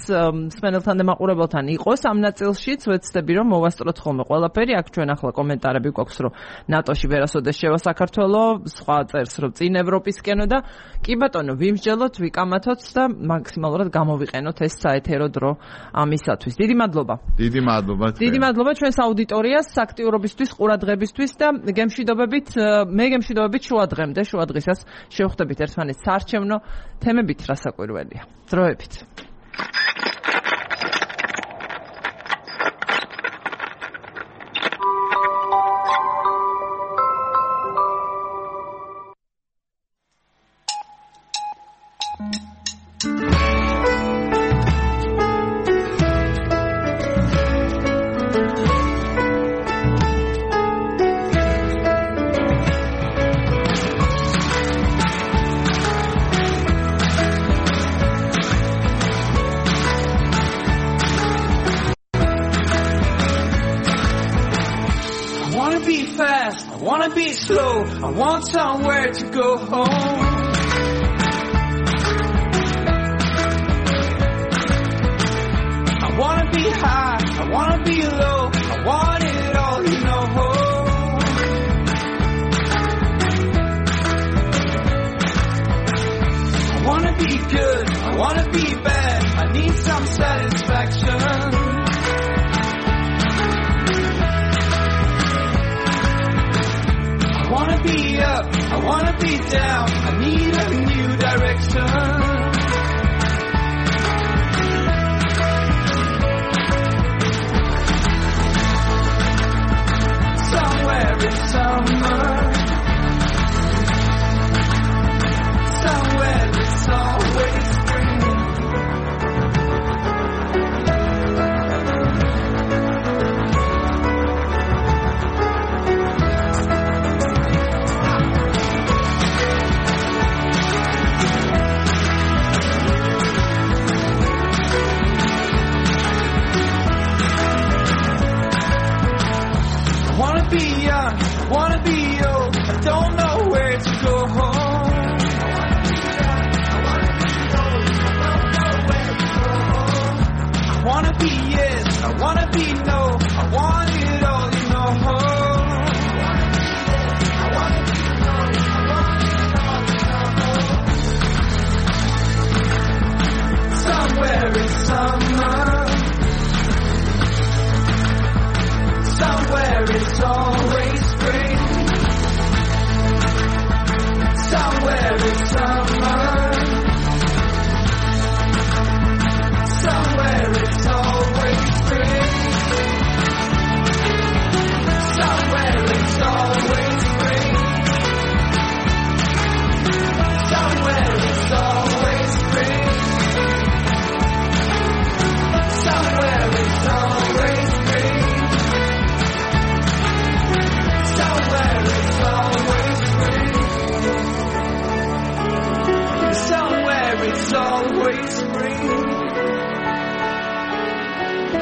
მსმენელთან და მაყურებელთან იყოს ამ ნაწილშიც ვეცდები რომ მოვასწროთ ხოლმე ყველაფერი აქ ჩვენ ახლა კომენტარები გვაქვს რომ ნატოში ვერასოდეს შევა საქართველოს სხვა წერს რომ წინ ევროპისკენო და კი ბატონო ვიმსჯელოთ ვიკამათოთ და მაქსიმალურად გამოვიყენოთ ეს საეთერო დრო ამისათვის დიდი მადლობა დიდი მადლობა ჩვენს აუდიტორიას აქტიურობისთვის ყურადღებისთვის და გემშვიდობებით შუა დღემდე შუა დღისას შევხვდებით ერთმანეთს საარჩევნო თემებით რასაკვირველია დროებით fast, I wanna be slow, I want somewhere to go home. I wanna be high, I wanna be low, I want it all, you know. I wanna be good, I wanna be bad, I need some satisfaction. I wanna be up, I wanna be down, I need a new direction. Somewhere in summer, somewhere it's always spring. I wanna be young, I wanna be old, I don't know where to go home. I wanna be yes, I wanna be no, I want it all, you know. Somewhere in summer, somewhere it's always spring. Somewhere in summer, somewhere it's always spring. Somewhere it's always spring. Somewhere it's always spring. Somewhere it's always spring. Somewhere it's always spring. Somewhere it's always spring.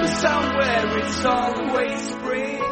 Somewhere it's always spring.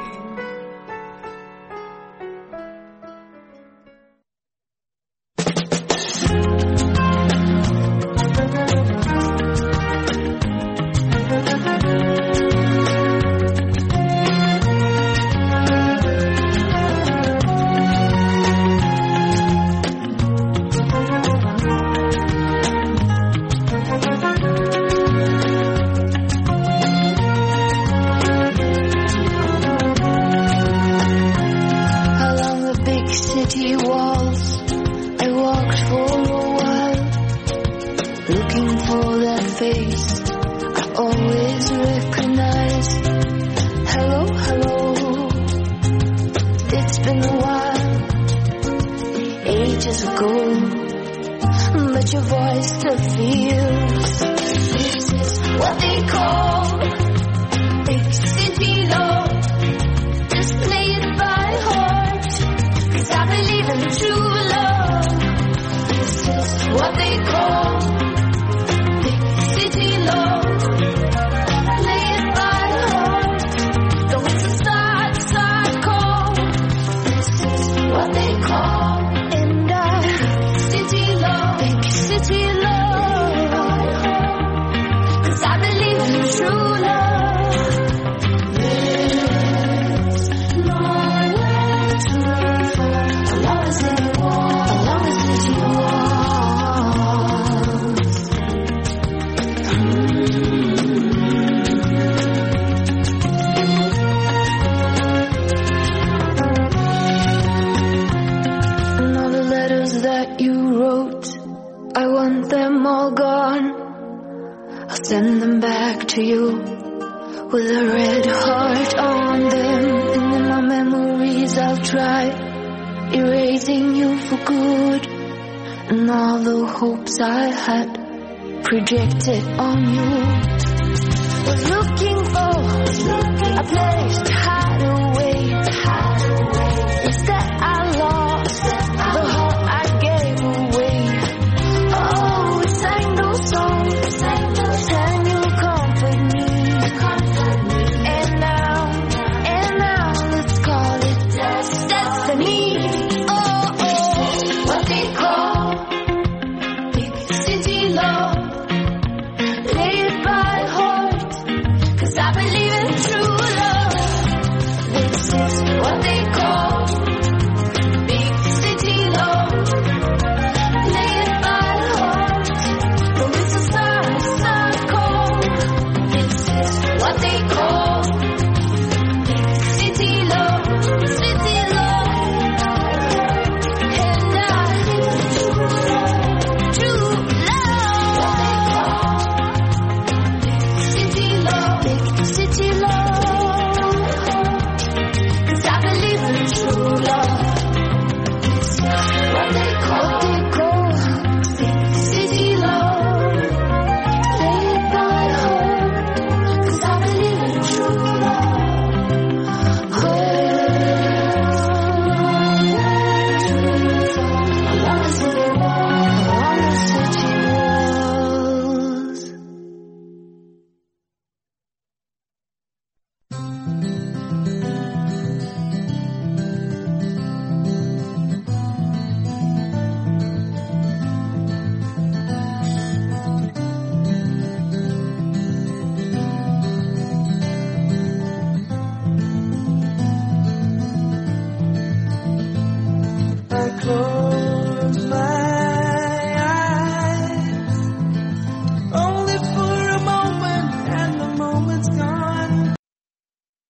But your voice still feels. This is what they call big city love. Just play it by heart, 'cause I believe in true love. This is what they call big city love. Play it by heart, though it's a sad call. This is what they call. City love, 'cause I believe in true love. There's nowhere to run for, as long as it walks, as long as it walks. And all the letters that you wrote, I want them all gone. I'll send them back to you with a red heart on them. And in my memories I'll try erasing you for good. And all the hopes I had projected on you. Was looking for a place to hide.